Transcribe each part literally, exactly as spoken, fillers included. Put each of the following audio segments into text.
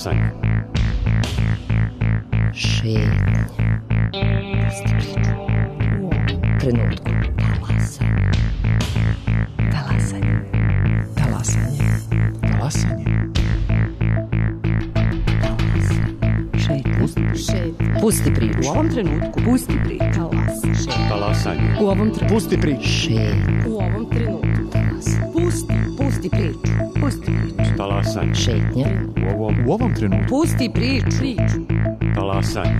Talasanje. Šetnja. Pusti priču. U ovom trenutku. Talasanje. Talasanje. Talasanje. Talasanje. Šetnja. Pusti priču. U ovom trenutku. Pusti priču. Talasanje. U ovom trenutku. Pusti priču. Šetnja. U ovom trenutku. Pusti. Pusti priču. Pusti priču. Talasanje. Šetnja. U ovom, U ovom trenutku. Pusti priču. Priču. talasanje.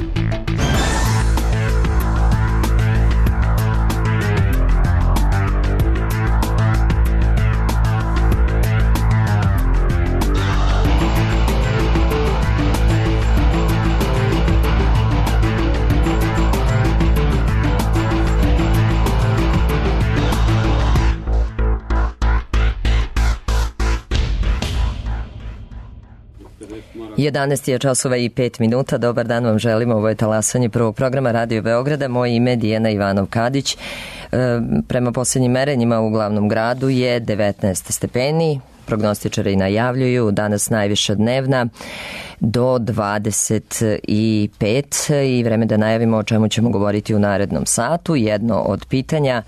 jedanaest je časova i pet minuta. Dobar dan vam želimo. Ovo je talasanje prvog programa Radio Beograda. Moje ime je Dijana Ivanov-Kadić. E, prema posljednjim merenjima u glavnom gradu je devetnaest stepeni. Prognostičari najavljuju danas najviša dnevna do dvadeset pet i vreme da najavimo o čemu ćemo govoriti u narednom satu. Jedno od pitanja: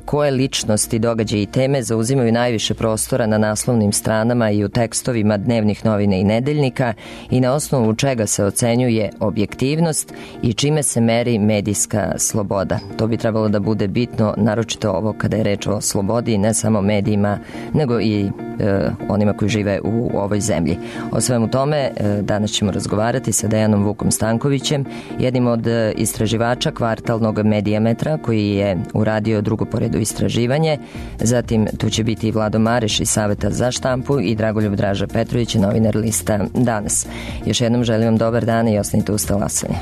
koje ličnosti, događaje i teme zauzimaju najviše prostora na naslovnim stranama i u tekstovima dnevnih novina i nedeljnika i na osnovu čega se ocenjuje objektivnost i čime se meri medijska sloboda. To bi trebalo da bude bitno, naročito ovo kada je reč o slobodi, ne samo medijima, nego i e, onima koji žive u ovoj zemlji. O svemu tome e, danas ćemo razgovarati sa Dejanom Vukom Stankovićem, jednim od istraživača kvartalnog Medijametra, koji je uradio drugo po redu istraživanje. Zatim tu će biti i Vlado Mareš iz Saveta za štampu i Dragoljub Draža Petrović, novinar lista Danas. Još jednom želim vam dobar dan i ostanite uz talasanje.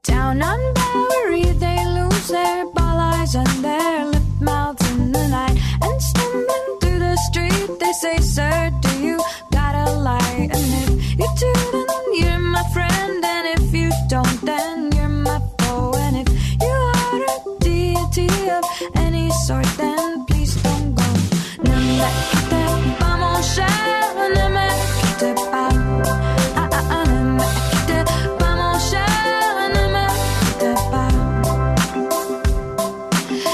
Down on Bowery they lose their ball eyes and their lip mouths in the night, and stumbling through the street they say, sir, do you got a light? And if you do, then you're my friend, and if you don't, then you're my foe. And if you are a deity of any sort, then please don't go. Ne me quitte pas mon cher, ne me quitte pas. Ah ah ah, ne me quitte pas mon cher, ne me quitte pas.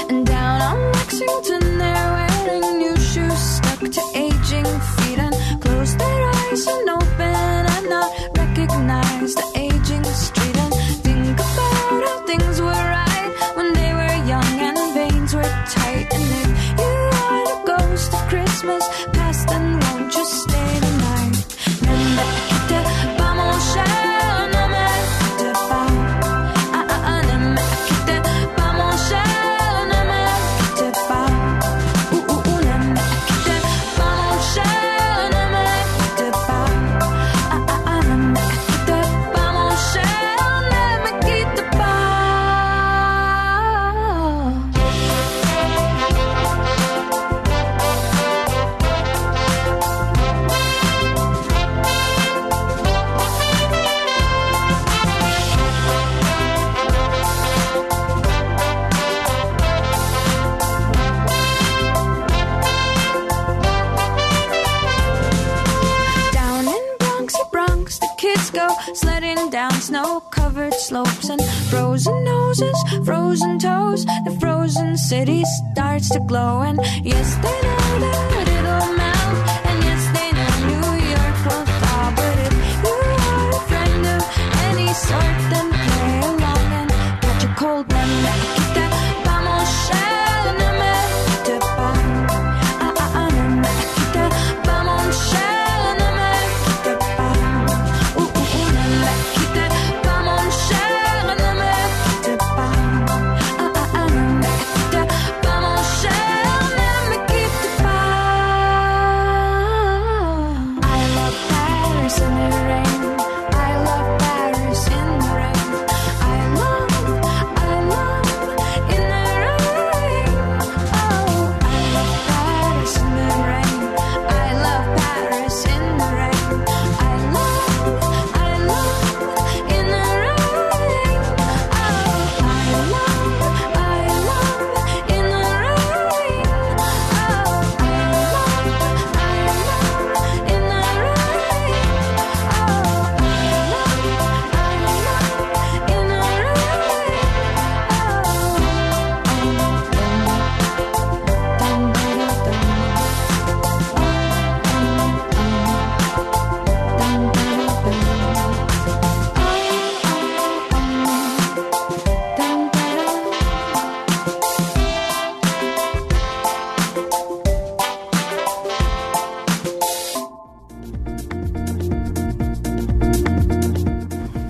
And down on Lexington they're wearing new shoes stuck to aging feet, and close their eyes and open and not recognize the aging street, and think about how things were right when they were young and veins were tight. And if you are the ghost of Christmas past, then won't you stay tonight? Ne me quitte pas mon cher, ne me quitte pas. Ah ah ah, ne me quitte pas mon cher, ne me quitte pas. Ouh ouh ouh, ne me quitte pas mon cher, ne me quitte pas. Ah ah ah, ne me quitte pas mon cher, ne me quitte pas. Down in Bronxy Bronx, the kids go sledding down snow-covered slopes, and frozen noses, frozen toes, the frozen city starts to glow. And yes, they know that it'll melt, and yes, they know New York will thaw. But if you are a friend of any sort, then play along and catch a cold. Ne me quitte pas mon cher, ne me quitte pas. Ah ah ah, ne me quitte pas mon cher, ne me quitte pas. Ouh ouh ouh, ne me quitte pas mon cher, ne me quitte pas. Ah ah ah, ne me quitte pas mon cher, ne me quitte pas.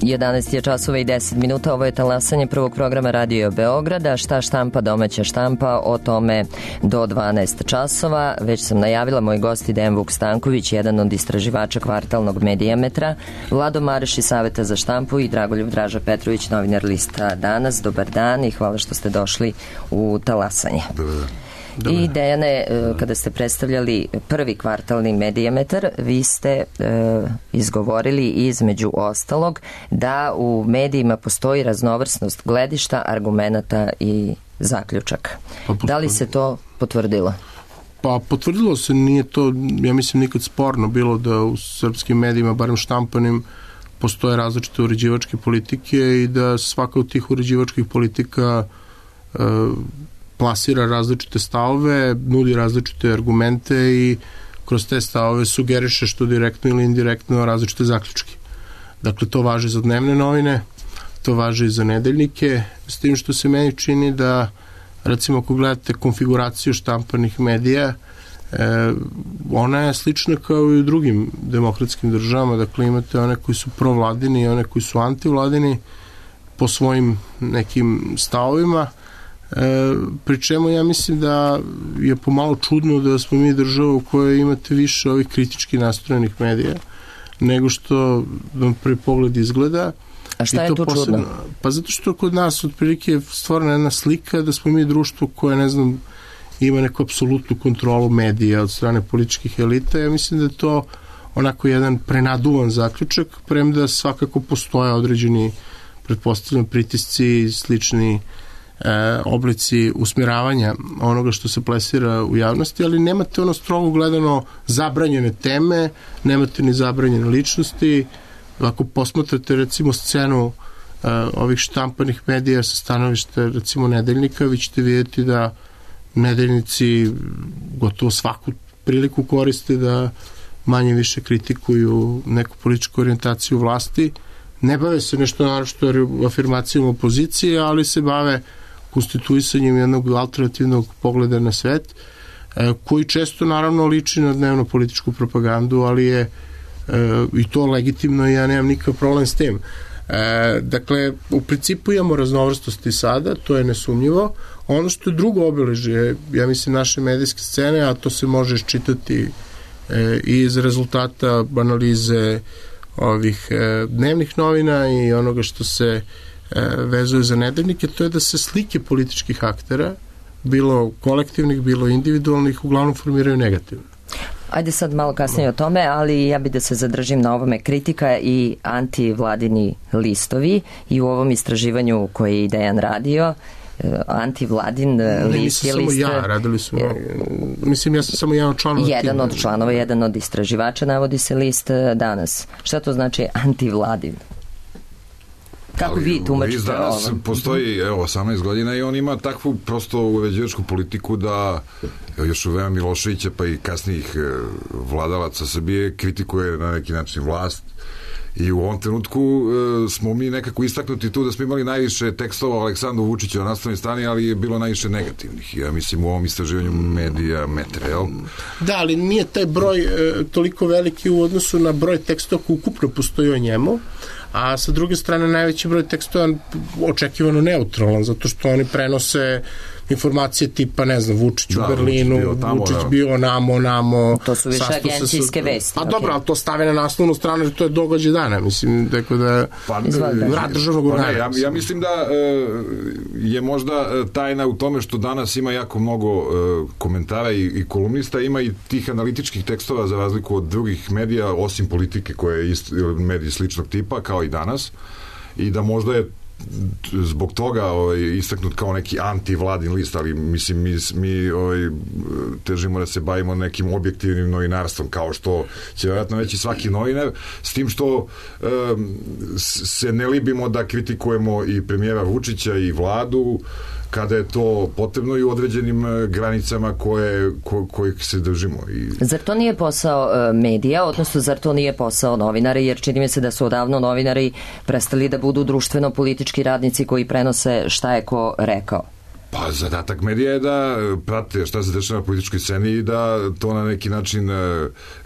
jedanaest je časova i deset minuta, ovo je talasanje prvog programa Radio Beograda. Šta štampa domaća štampa, o tome do dvanaest časova. Već sam najavila, moj gost je Dejan Vuk Stanković, jedan od istraživača kvartalnog Medijametra, Vlado Mareš iz Saveta za štampu i Dragoljub Draža Petrović, novinar lista Danas. Dobar dan i hvala što ste došli u talasanje. Dobar dan. Dobar. I Dejane, kada ste predstavljali prvi kvartalni Medijametar, vi ste e, izgovorili između ostalog da u medijima postoji raznovrsnost gledišta, argumenata i zaključaka. Pa, da li se to potvrdilo? Pa potvrdilo se, nije to, ja mislim, nikad sporno bilo da u srpskim medijima, barem štampanim, postoje različite uređivačke politike i da svaka od tih uređivačkih politika e, plasira različite stavove, nudi različite argumente i kroz te stavove sugeriše što direktno ili indirektno različite zaključke. Dakle, to važi za dnevne novine, to važi i za nedeljnike, s tim što se meni čini da, recimo, ako gledate konfiguraciju štampanih medija, e, ona je slična kao i u drugim demokratskim državama. Dakle, imate one koji su provladini i one koji su antivladini po svojim nekim stavovima. E, pri čemu ja mislim da je pomalo čudno da smo mi država u kojoj imate više ovih kritički nastrojenih medija nego što vam prvi pogled izgleda. A šta je tu čudno? Pa zato što kod nas otprilike je stvorena jedna slika da smo mi društvo koje, ne znam, ima neku apsolutnu kontrolu medija od strane političkih elita. Ja mislim da je to onako jedan prenaduvan zaključak, premda svakako postoje određeni, pretpostavljam, pritisci i slični E, oblici usmjeravanja onoga što se plesira u javnosti, ali nemate ono strogo gledano zabranjene teme, nemate ni zabranjene ličnosti. Ako posmatrate recimo scenu e, ovih štampanih medija sa stanovišta recimo nedeljnika, vi ćete vidjeti da nedeljnici gotovo svaku priliku koriste da manje više kritikuju neku političku orijentaciju vlasti. Ne bave se nešto naročito afirmacijom opozicije, ali se bave konstituisanjem jednog alternativnog pogleda na svet, koji često naravno liči na dnevno političku propagandu, ali je i to legitimno i ja nemam nikakav problem s tim. Dakle, u principu imamo raznovrstosti sada, to je nesumnjivo. Ono što je drugo obeležje, ja mislim, naše medijske scene, a to se može iščitati i iz rezultata analize ovih dnevnih novina i onoga što se vezuje za nedeljnike, to je da se slike političkih aktera, bilo kolektivnih, bilo individualnih, uglavnom formiraju negativno. Ajde sad malo kasnije o tome, ali ja bih da se zadržim na ovome. Kritika i antivladini listovi i u ovom istraživanju koje je Dejan radio, antivladin list je list... Samo ja, radili su... Mislim, ja sam samo jedan od članova. Jedan od članova, jedan od istraživača, navodi se list Danas. Šta to znači antivladin? Kako ali, vi tumačite ovo? Danas postoji evo, osamnaest godina i on ima takvu prosto uređivačku politiku da još u vreme Miloševića pa i kasnijih vladalaca Srbije kritikuje na neki način vlast. I u ovom trenutku e, smo mi nekako istaknuti tu da smo imali najviše tekstova o Aleksandru Vučiću na naslovnoj strani, ali je bilo najviše negativnih. Ja mislim u ovom istraživanju medija metra, jel? Da, ali nije taj broj e, toliko veliki u odnosu na broj tekstova koji ukupno postoji o njemu, a sa druge strane najveći broj tekstova očekivano neutralan, zato što oni prenose informacije tipa, ne znam, Vučić u da, Berlinu, Vučić bio, tamo, Vučić bio namo, namo. To su više agencijske vesti. A okay. Dobro, ali to stave na naslovnu stranu, jer to je događaj dana, mislim, tako da pa, rad državnog organa. Ja, ja mislim da e, je možda tajna u tome što danas ima jako mnogo e, komentara i, i kolumnista, ima i tih analitičkih tekstova za razliku od drugih medija, osim politike koje je ist, mediji sličnog tipa, kao i danas, i da možda je zbog toga ovaj, istaknut kao neki antivladin list, ali mislim mi, mi ovaj, težimo da se bavimo nekim objektivnim novinarstvom, kao što će vjerojatno reći svaki novinar, s tim što um, se ne libimo da kritikujemo i premijera Vučića i vladu kada je to potrebno i u određenim granicama koje, ko, kojih se držimo. I... Zar to nije posao medija, odnosno zar to nije posao novinara, jer čini mi se da su odavno novinari prestali da budu društveno-politički radnici koji prenose šta je ko rekao? Pa zadatak medija je da prate šta se dešava na političkoj sceni i da to na neki način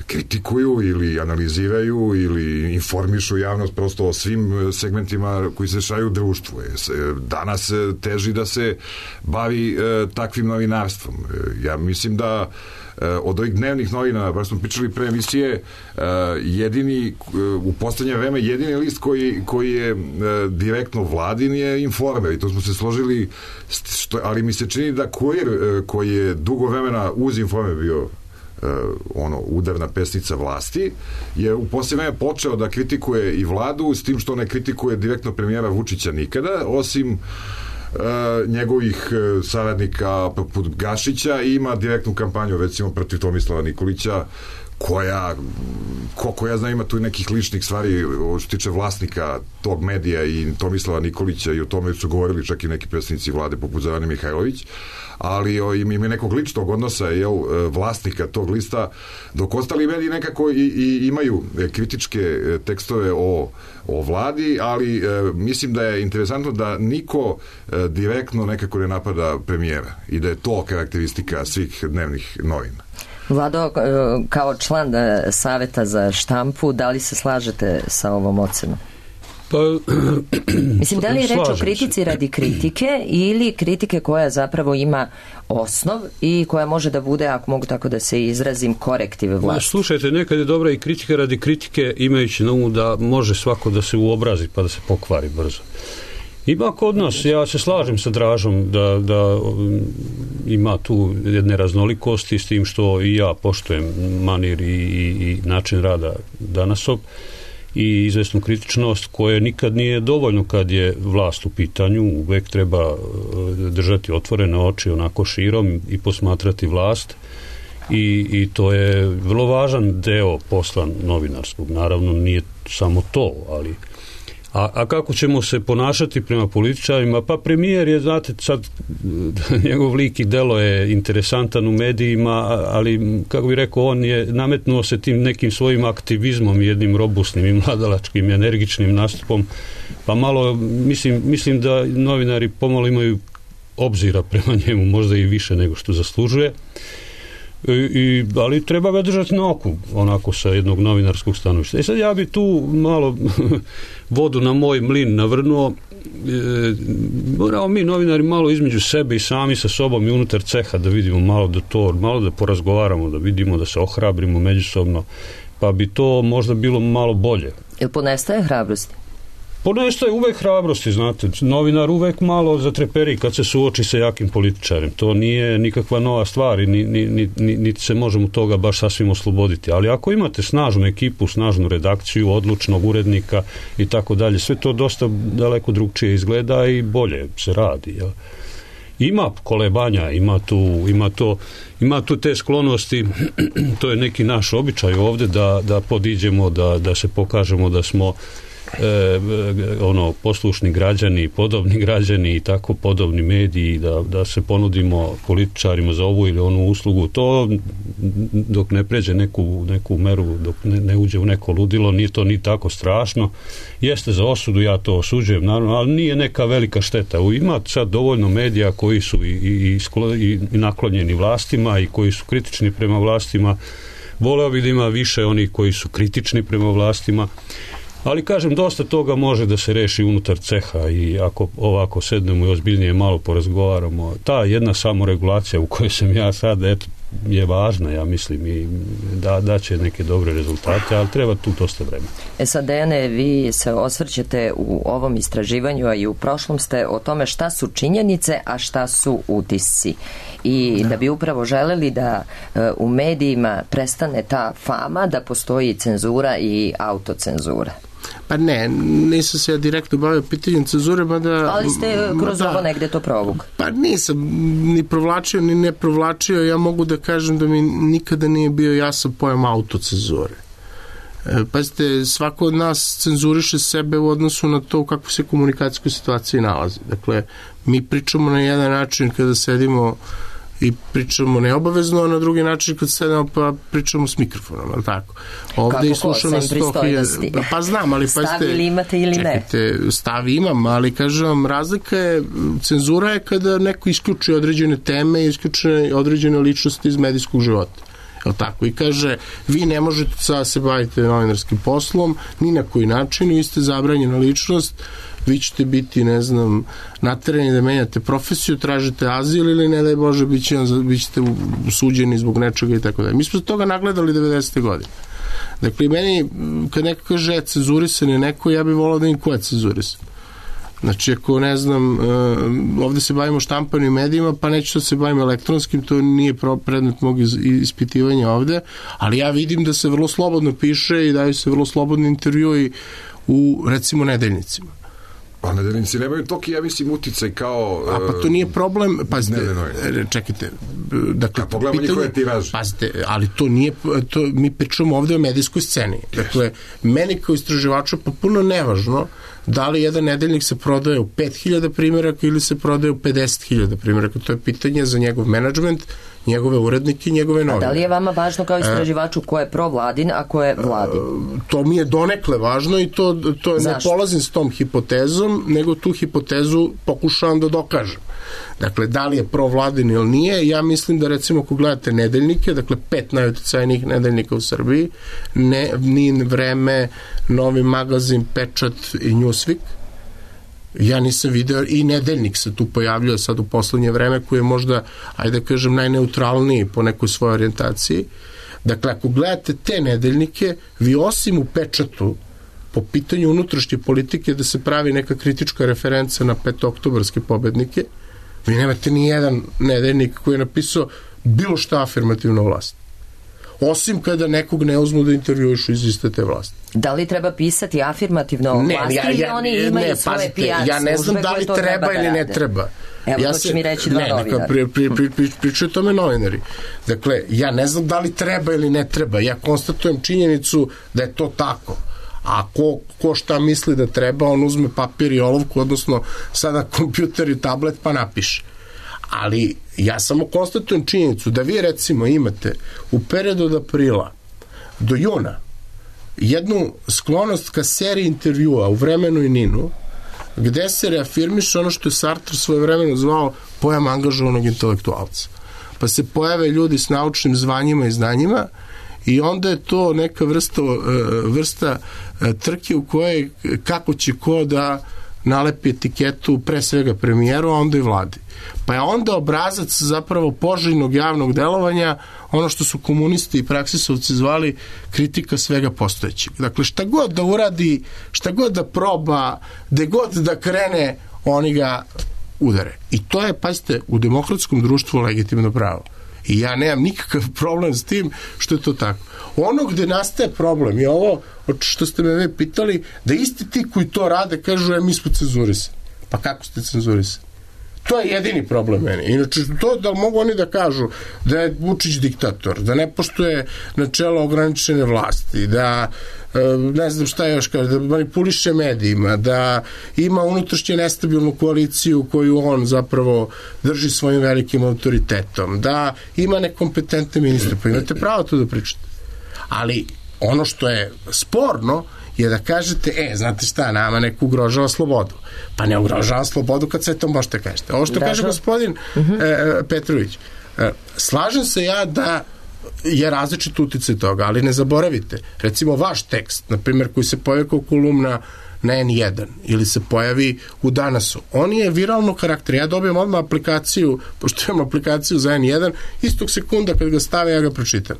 kritikuju ili analiziraju ili informišu javnost prosto o svim segmentima koji se dešavaju u društvu. Danas teži da se bavi takvim novinarstvom. Ja mislim da od ovih dnevnih novina, baš smo pričali pre emisije, jedini, u poslednje vreme jedini list koji, koji je direktno vladin je Informer i to smo se složili, što, ali mi se čini da Kurir koji je dugo vremena uz Informer bio ono, udarna pesnica vlasti, je u posljednje vreme počeo da kritikuje i vladu, s tim što ne kritikuje direktno premijera Vučića nikada, osim Uh, njegovih uh, saradnika poput Gašića i ima direktnu kampanju recimo protiv Tomislava Nikolića koja, koliko ja znam, ima tu nekih ličnih stvari što se tiče vlasnika tog medija i Tomislava Nikolića i o tome su govorili čak i neki predstavnici vlade poput Zorane Mihajlović, ali o, ima nekog ličnog odnosa, jel, vlasnika tog lista, dok ostali mediji nekako i, i imaju kritičke tekstove o, o vladi, ali e, mislim da je interesantno da niko e, direktno nekako ne napada premijera i da je to karakteristika svih dnevnih novina. Vlado, kao član Saveta za štampu, da li se slažete sa ovom ocenom? Pa, mislim, da li je reč o kritici radi kritike ili kritike koja zapravo ima osnov i koja može da bude, ako mogu tako da se izrazim, korektive vlasti? Slušajte, nekad je dobra i kritika radi kritike, imajući na umu da može svako da se uobrazi pa da se pokvari brzo. Ima kod nas, ja se slažem sa Dražom da, da um, ima tu jedne raznolikosti s tim što i ja poštujem manir i, i, i način rada Danasov i izvesnu kritičnost koje nikad nije dovoljno kad je vlast u pitanju, uvek treba držati otvorene oči onako širom i posmatrati vlast i, i to je vrlo važan deo posla novinarskog. Naravno nije samo to, ali A, a kako ćemo se ponašati prema političarima? Pa premijer je, znate, sad njegov lik i delo je interesantan u medijima, ali kako bih rekao, on je nametnuo se tim nekim svojim aktivizmom, jednim robustnim i mladalačkim, energičnim nastupom, pa malo, mislim, mislim da novinari pomalo imaju obzira prema njemu, možda i više nego što zaslužuje. I, i, ali treba ga držati na oku, onako sa jednog novinarskog stanovišta. E sad ja bi tu malo vodu na moj mlin navrnuo. E, moramo mi novinari malo između sebe i sami sa sobom i unutar ceha da vidimo malo da to, malo da porazgovaramo, da vidimo, da se ohrabrimo međusobno, pa bi to možda bilo malo bolje. Jel ponestaje hrabrosti? Ponestaje uvek hrabrosti, znate, novinar uvek malo zatreperi kad se suoči sa jakim političarem, to nije nikakva nova stvar i ni, ni, ni, ni, niti se možemo toga baš sasvim osloboditi, ali ako imate snažnu ekipu, snažnu redakciju, odlučnog urednika i tako dalje, sve to dosta daleko drugčije izgleda i bolje se radi, jel? Ima kolebanja, ima tu, ima to, ima tu te sklonosti, to je neki naš običaj ovde da, da podiđemo, da, da se pokažemo da smo E, ono poslušni građani, podobni građani i tako podobni mediji, da, da se ponudimo političarima za ovu ili onu uslugu, to dok ne pređe neku, neku meru, dok ne, ne uđe u neko ludilo, nije to ni tako strašno. Jeste za osudu, ja to osuđujem naravno, ali nije neka velika šteta. Ima sad dovoljno medija koji su i, i, i, i naklonjeni vlastima i koji su kritični prema vlastima. Voleo bih da ima više onih koji su kritični prema vlastima. Ali kažem, dosta toga može da se reši unutar ceha i ako ovako sednemo i ozbiljnije malo porazgovaramo, ta jedna samoregulacija u kojoj sam ja sad, eto, je važna, ja mislim, i da, da će neke dobre rezultate, ali treba tu dosta vremena. E sad, Dejane, vi se osvrćete u ovom istraživanju, a i u prošlom ste o tome šta su činjenice, a šta su utisci. I da bi upravo želeli da u medijima prestane ta fama da postoji cenzura i autocenzura. Pa ne, nisam se ja direktno bavio pitanjem cenzure, mada... Ali ste kroz mada, ovo negde to provuk. Pa nisam ni provlačio, ni ne provlačio. Ja mogu da kažem da mi nikada nije bio jasan pojam autocenzure. E, pazite, svako od nas cenzuriše sebe u odnosu na to u kakvoj se komunikacijskoj situaciji nalazi. Dakle, mi pričamo na jedan način kada sedimo i pričamo neobavezno, a na drugi način kad sedemo pa pričamo s mikrofonom, ali tako. Ovde i slušamo na sto hiljada. Pa znam, ali pa stav ili imate ili ne? Čekajte, stav imam, ali kažem vam, razlika je, cenzura je kada neko isključi određene teme i isključi određene ličnosti iz medijskog života. Jel tako? I kaže, vi ne možete sada se baviti novinarskim poslom, ni na koji način, vi ste zabranjena ličnost, vi ćete biti, ne znam, naterani da menjate profesiju, tražite azil ili ne daj Bože, bit ćete suđeni zbog nečega i tako da. Mi smo toga nagledali devedesete godine. Dakle, meni, kad neko kaže cenzurisan je neko, ja bih volao da im ko je cenzurisan. Znači, ako ne znam, ovde se bavimo štampanim medijima, pa neću da se bavim elektronskim, to nije predmet mog ispitivanja ovde, ali ja vidim da se vrlo slobodno piše i daju se vrlo slobodni intervjui u, recimo, nedeljnicima. Pa nedeljnici nemaju toki, ja mislim, uticaj kao... A pa to nije problem, pazite, čekajte, dakle, a pogledamo njihove tiraže. Pazite, ali to nije, to, mi pričamo ovde o medijskoj sceni. Dakle, meni kao istraživaču je potpuno nevažno da li jedan nedeljnik se prodaje u pet hiljada primjeraka ili se prodaje u pedeset hiljada primjeraka. To je pitanje za njegov menadžment, njegove urednike i njegove novine. A da li je vama važno kao istraživaču ko je provladin, a ko je vladin? To mi je donekle važno i to, to ne polazim s tom hipotezom, nego tu hipotezu pokušavam da dokažem. Dakle, da li je provladin ili nije, ja mislim da recimo ako gledate nedeljnike, dakle pet najuticajnijih nedeljnika u Srbiji, ne, ni Vreme, Novi magazin, Pečat i Newsweek, ja nisam video, i nedeljnik se tu pojavljuje sad u poslednje vreme, koji je možda, ajde da kažem, najneutralniji po nekoj svojoj orijentaciji. Dakle, ako gledate te nedeljnike, vi osim u Pečatu, po pitanju unutrašnje politike, da se pravi neka kritička referenca na petooktobarske pobednike, vi nemate ni jedan nedeljnik koji je napisao bilo šta afirmativno vlast. Osim kada nekog ne uzmu da intervjuišu iz iste te vlasti. Da li treba pisati afirmativno o vlasti ja, ja, ili oni imaju ne, svoje P R ja ne znam da li treba, treba ili ne treba. Evo, ja to će mi reći dva novinara. Pri, pri, pri, pri, pričaju tome novinari. Dakle, ja ne znam da li treba ili ne treba. Ja konstatujem činjenicu da je to tako. A ko, ko šta misli da treba, on uzme papir i olovku, odnosno sada kompjuter i tablet pa napiše. Ali ja samo konstatujem činjenicu da vi recimo imate u periodu od aprila do juna jednu sklonost ka seriji intervjua u Vremenu i Ninu, gde se reafirmiše ono što je Sartre svoje vremeno zvao pojam angažovanog intelektualca. Pa se pojave ljudi s naučnim zvanjima i znanjima i onda je to neka vrsta, vrsta trke u kojoj kako će ko da nalepi etiketu pre svega premijeru, a onda i vladi. Pa je onda obrazac zapravo poželjnog javnog delovanja ono što su komunisti i praksisovci zvali kritika svega postojećeg. Dakle, šta god da uradi, šta god da proba, gde god da krene, oni ga udare. I to je, pazite, u demokratskom društvu legitimno pravo. I ja nemam nikakav problem s tim što je to tako. Ono gde nastaje problem je ovo što ste me vi pitali, da isti ti koji to rade kažu, e, mi smo cenzurisani. Pa kako ste cenzurisani? To je jedini problem meni. Inače, to da mogu oni da kažu da je Vučić diktator, da ne poštuje načelo ograničene vlasti, da ne znam šta još kaže, da manipuliše medijima, da ima unutrašnje nestabilnu koaliciju koju on zapravo drži svojim velikim autoritetom, da ima nekompetentne ministre, pa imate pravo to da pričate. Ali ono što je sporno je da kažete, e, znate šta, nama neko ugrožava slobodu. Pa ne ugrožava slobodu kad sve to možete kažete. Ovo što kaže gospodin uh-huh. e, Petrović, e, slažem se ja da je različit uticaj toga, ali ne zaboravite, recimo vaš tekst, na primjer, koji se pojavi kao kolumna na en jedan ili se pojavi u Danasu, on je viralno karakter. Ja dobijem odmah aplikaciju, pošto imam aplikaciju za en jedan, istog sekunda kad ga stave, ja ga pročitam.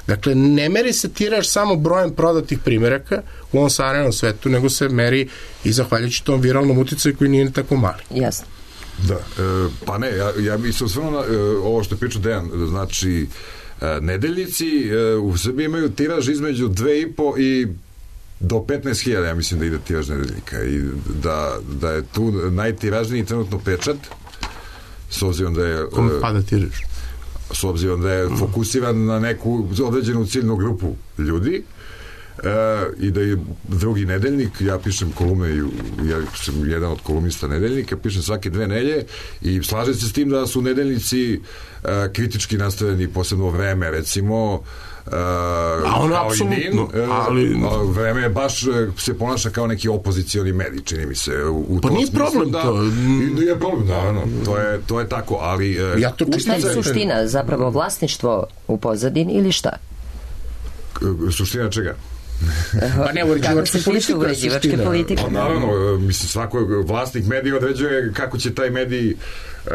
Dakle, ne meri se tiraž samo brojem prodatih primjeraka u ovom savremenom svetu, nego se meri i zahvaljujući tom viralnom uticaju koji nije tako mali. Jasno. Da, e, pa ne, ja, ja bih se osvrnuo na e, ovo što je pričao Dejan, znači e, nedeljnici e, u Srbiji imaju tiraž između dve i po i do petnaest hiljada, ja mislim da ide tiraž nedeljnika i da, da je tu najtiražniji trenutno Pečat, s obzirom da je... Kome pada tiraž? S obzirom da je fokusiran na neku određenu ciljnu grupu ljudi. E, i da je drugi nedeljnik, ja pišem kolumne, ja sam jedan od kolumnista nedeljnika, pišem svake dve nelje i slažem se s tim da su nedeljnici kritički nastavljeni, posebno Vreme, recimo, Uh, a ono apsolutno, ali Vreme je baš se ponaša kao neki opozicioni medij, čini mi se u pa nije problem da, to nije problem, da, no, to, je, to je tako, ali ja to šta je suština, zapravo vlasništvo u pozadini ili šta? Suština čega? Pa ne, uređivačka politika. Uređivačke politike. Pa, naravno, mislim, svako vlasnik medija određuje kako će taj medij uh,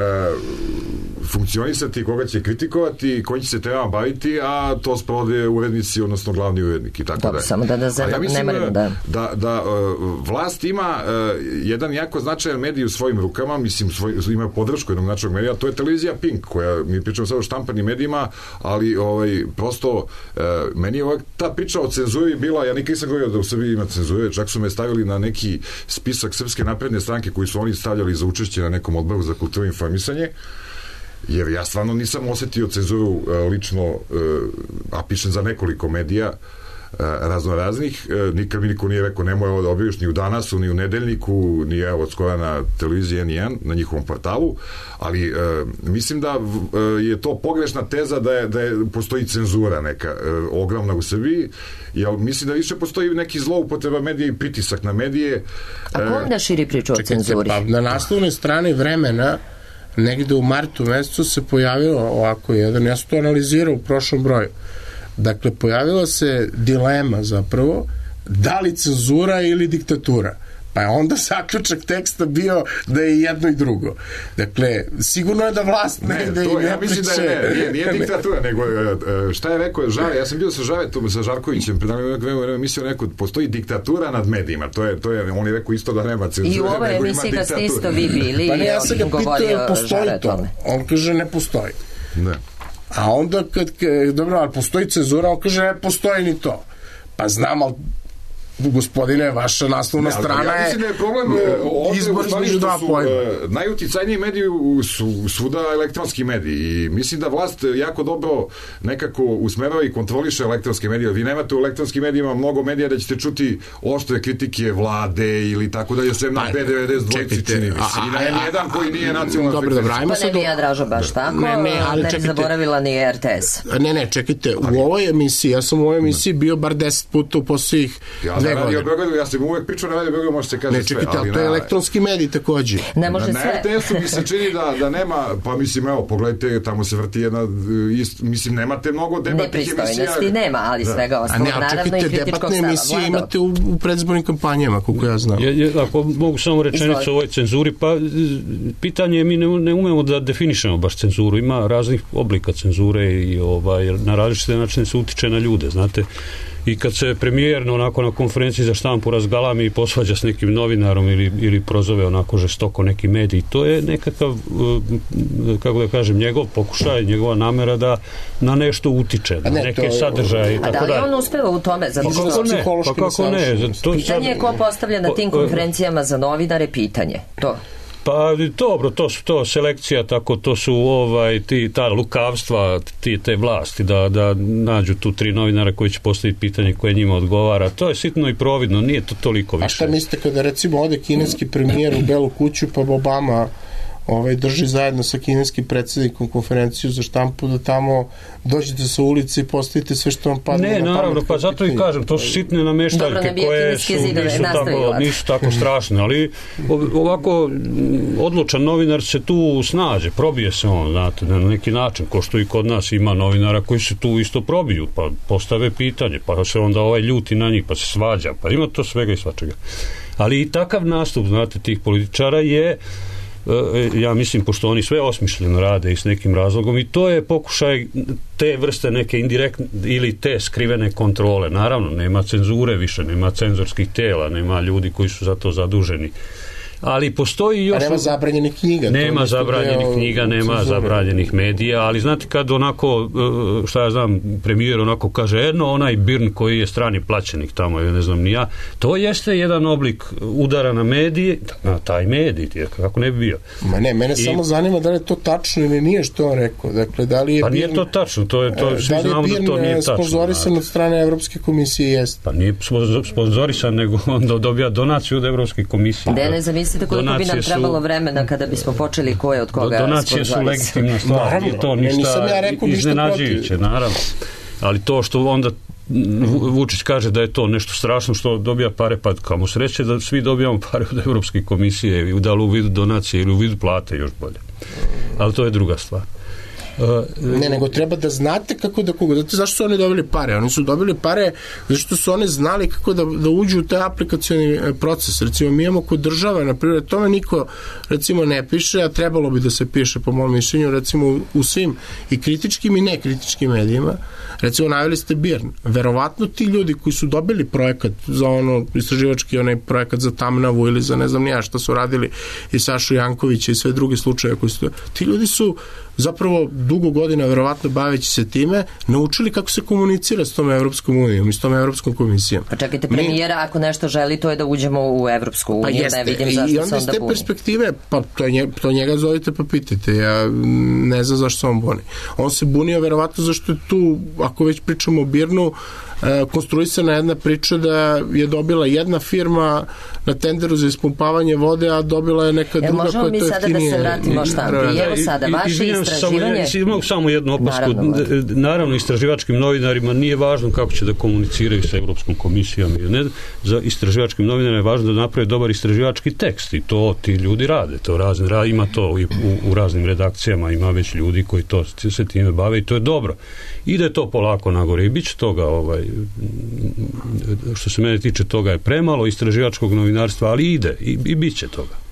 funkcionisati, koga će kritikovati, koji će se trebama baviti, a to sprovode urednici, odnosno glavni urednik i tako Dobro, dalje. samo da da ja ne marimo, da. Da, da uh, vlast ima uh, jedan jako značajan medij u svojim rukama, mislim, svoj, ima podršku jednog značajnog medija, to je televizija Pink, koja, mi pričamo sad o štampanim medijima, ali ovaj, prosto uh, meni je ovaj, ta priča o cenzuri bila, ja nikad nisam govorio da u Srbiji ima cenzure, čak su me stavili na neki spisak Srpske napredne stranke koji su oni stavljali za učešće na nekom odboru za kulturu i informisanje, jer ja stvarno nisam osetio cenzuru uh, lično, uh, a pišem za nekoliko medija uh, razno raznih, uh, nikad mi niko nije rekao nemoj ovo da objaviš ni u Danasu, ni u Nedeljniku, ni evo od skora na televiziji N jedan, na njihovom portalu, ali uh, mislim da uh, je to pogrešna teza da je, da je postoji cenzura neka uh, ogromna u Srbiji, jer mislim da više postoji neki zloupotreba medija i pritisak na medije. A ko onda širi priču o cenzuri? Pa na naslovnoj strani Vremena negde u martu mesecu se pojavilo ovako jedan, ja sam to analizirao u prošlom broju. Dakle, pojavila se dilema zapravo, da li cenzura ili diktatura. Pa je onda zaključak teksta bio da je jedno i drugo. Dakle, sigurno je da vlast ne, ne da to, i ne ja mislim priče. Da je, ne, nije, nije diktatura, nego šta je rekao Žave, ja sam bio sa Žavetom, sa Žarkovićem, mislio neko, postoji diktatura nad medijima, to je, to je, on je rekao isto da nema cenzure. I u ovoj emisiji kad ste isto vi bili, pa ne, ja sam ga pitao, postoji to. On kaže ne postoji. Ne. A onda kad, dobro, ali postoji cenzura, on kaže ne postoji ni to. Pa znam, ali gospodine, vaša naslovna ne, strana ja mislim da je problem izbor između dva pojma. Najuticajniji mediji su svuda elektronski mediji i mislim da vlast jako dobro nekako usmerava i kontroliše elektronske medije. Vi nemate u elektronskim medijima mnogo medija da ćete čuti oštre kritike vlade ili tako da je sve na P devedeset dva čini mi se. I na jedan koji nije nacionalna frekvencija. Pa ne bi ja Dražo baš tako, ne, ne, ali ne bi zaboravila ni R T S. Ne, ne, čekajte, u ovoj emisiji, ja sam u ovoj emisiji bio bar deset puta u posljednjih dve godine. Beogradu, ja sam uvek pričao na Radio Beogradu, može se kaže sve. Ne, čekajte, sve, ali to je elektronski medij takođe. Ne može na, sve. Na R T S-u mi se čini da, da nema, pa mislim, evo, pogledajte, tamo se vrti jedna, ist, mislim, nemate mnogo debatnih emisija. Nepristojnosti nema, ali da. Svega ostalo, ne, naravno i kritičkog stava. Debatne emisije Vlado. Imate u, u predzbornim kampanjama, koliko ja znam. Je, je, ako mogu samo rečenicu o ovoj cenzuri, pa pitanje je, mi ne, ne umemo da definišemo baš cenzuru. Ima raznih oblika cenzure i ovaj, na različite načine se utiče na ljude, znate. I kad se premijer onako na konferenciji za štampu razgalami i posvađa s nekim novinarom ili, ili prozove onako žestoko neki medij, to je nekakav, kako da kažem, njegov pokušaj, njegova namera da na nešto utiče, na ne, neke to, sadržaje i tako da. A da li on uspeva u tome? Zato što... Pa kako ne? Pa kako ne? To pitanje je ko postavlja na tim konferencijama za novinare pitanje. To. Pa dobro, to su to selekcija, tako to su ovaj ti ta lukavstva, ti te vlasti da da nađu tu tri novinara koji će postaviti pitanje koje njima odgovara. To je sitno i providno, nije to toliko više. A šta mislite kada recimo ode kineski premijer u Belu kuću pa Obama ovaj drži zajedno sa kineskim predsjednikom konferenciju za štampu da tamo dođete sa ulice i postavite sve što vam padne ne, na naravno, pa zato i kažem, to su sitne nameštaljke koje su, nisu, tako, nisu tako strašne, ali ovako odlučan novinar se tu snađe, probije se on, znate, na neki način, ko što i kod nas ima novinara koji se tu isto probiju, pa postave pitanje, pa se onda ovaj ljuti na njih, pa se svađa, pa ima to svega i svačega. Ali i takav nastup, znate, tih političara je, ja mislim, pošto oni sve osmišljeno rade i s nekim razlogom, i to je pokušaj te vrste neke indirektne ili te skrivene kontrole. Naravno, nema cenzure više, nema cenzorskih tela, nema ljudi koji su za to zaduženi. Ali postoji još... A nema zabranjenih knjiga. Nema zabranjenih knjiga, nema zabranjenih medija, ali znate kad onako, šta ja znam, premijer onako kaže, jedno onaj Birn koji je strani plaćenik tamo, ja ne znam ni ja, to jeste jedan oblik udara na medije, na taj medij, kako ne bi bio. Ma ne, mene I, samo zanima da li je to tačno ili nije što on rekao. Dakle, da li je pa Birn, nije to tačno, to je, to, svi da li je znamo Birn da to nije tačno. sponzorisan od strane Evropske komisije? Jeste. Pa nije sponzorisan, nego on dobija donaciju od Evropske komisije. Da, ne zamislite koliko bi nam trebalo vremena kada bismo počeli ko je od koga sponzorisan. Donacije su legitimna stvar, nije to ništa ja iznenađujuće, naravno. Ali to što onda Vučić kaže da je to nešto strašno što dobija pare, pa kamo sreće da svi dobijamo pare od Evropske komisije, da li u vidu donacije ili u vidu plate, još bolje. Ali to je druga stvar. Ne, nego treba da znate kako da koga. Znate zašto su oni dobili pare? Oni su dobili pare zato što su oni znali kako da, da uđu u taj aplikacioni proces. Recimo, mi imamo kod države, na primjer, tome niko, recimo, ne piše, a trebalo bi da se piše, po mom mišljenju, recimo, u svim i kritičkim i nekritičkim medijima. Recimo, naveli ste Birn. Verovatno ti ljudi koji su dobili projekat za ono, istraživački onaj projekat za Tamnavu ili za ne znam nija što su radili i Sašu Jankovića i sve druge slučaje koji su, ti ljudi su zapravo dugo godina, verovatno baveći se time, naučili kako se komunicira s tom Evropskom unijom i s tom Evropskom komisijom. Pa čekajte, premijera, Mi, ako nešto želi, to je da uđemo u Evropsku uniju, pa jeste, ne vidim zašto se onda buni. I onda iz te perspektive, pa to, nje, to njega zovite pa pitajte, ja ne znam zašto se on buni. On se bunio verovatno zašto je tu, ako već pričamo o Birnu, konstruisana jedna priča da je dobila jedna firma na tenderu za ispumpavanje vode, a dobila je neka druga koja to jeftinije. Možemo mi sada da se vratimo štampi. Evo sada, vaše istraživanje... Imam samo jednu opasku. Naravno, naravno, istraživačkim novinarima nije važno kako će da komuniciraju sa Evropskom komisijom. Ne, za istraživačkim novinarima je važno da naprave dobar istraživački tekst i to ti ljudi rade. To razne, ima to i u, u raznim redakcijama, ima već ljudi koji to, se time bave i to je dobro. Ide to polako nagore i bit će toga, ovaj, što se mene tiče, toga je premalo istraživačkog novinarstva, ali ide i, i bit će toga.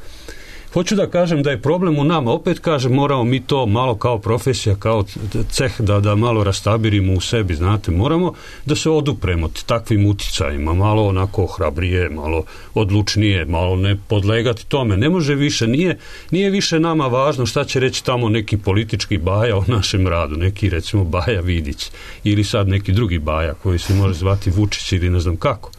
Hoću da kažem da je problem u nama, opet kažem, moramo mi to malo kao profesija, kao ceh da, da malo rastabirimo u sebi, znate, moramo da se odupremo takvim uticajima, malo onako hrabrije, malo odlučnije, malo ne podlegati tome. Ne može više, nije, nije više nama važno šta će reći tamo neki politički baja o našem radu, neki recimo Baja Vidić ili sad neki drugi baja koji se može zvati Vučić ili ne znam kako.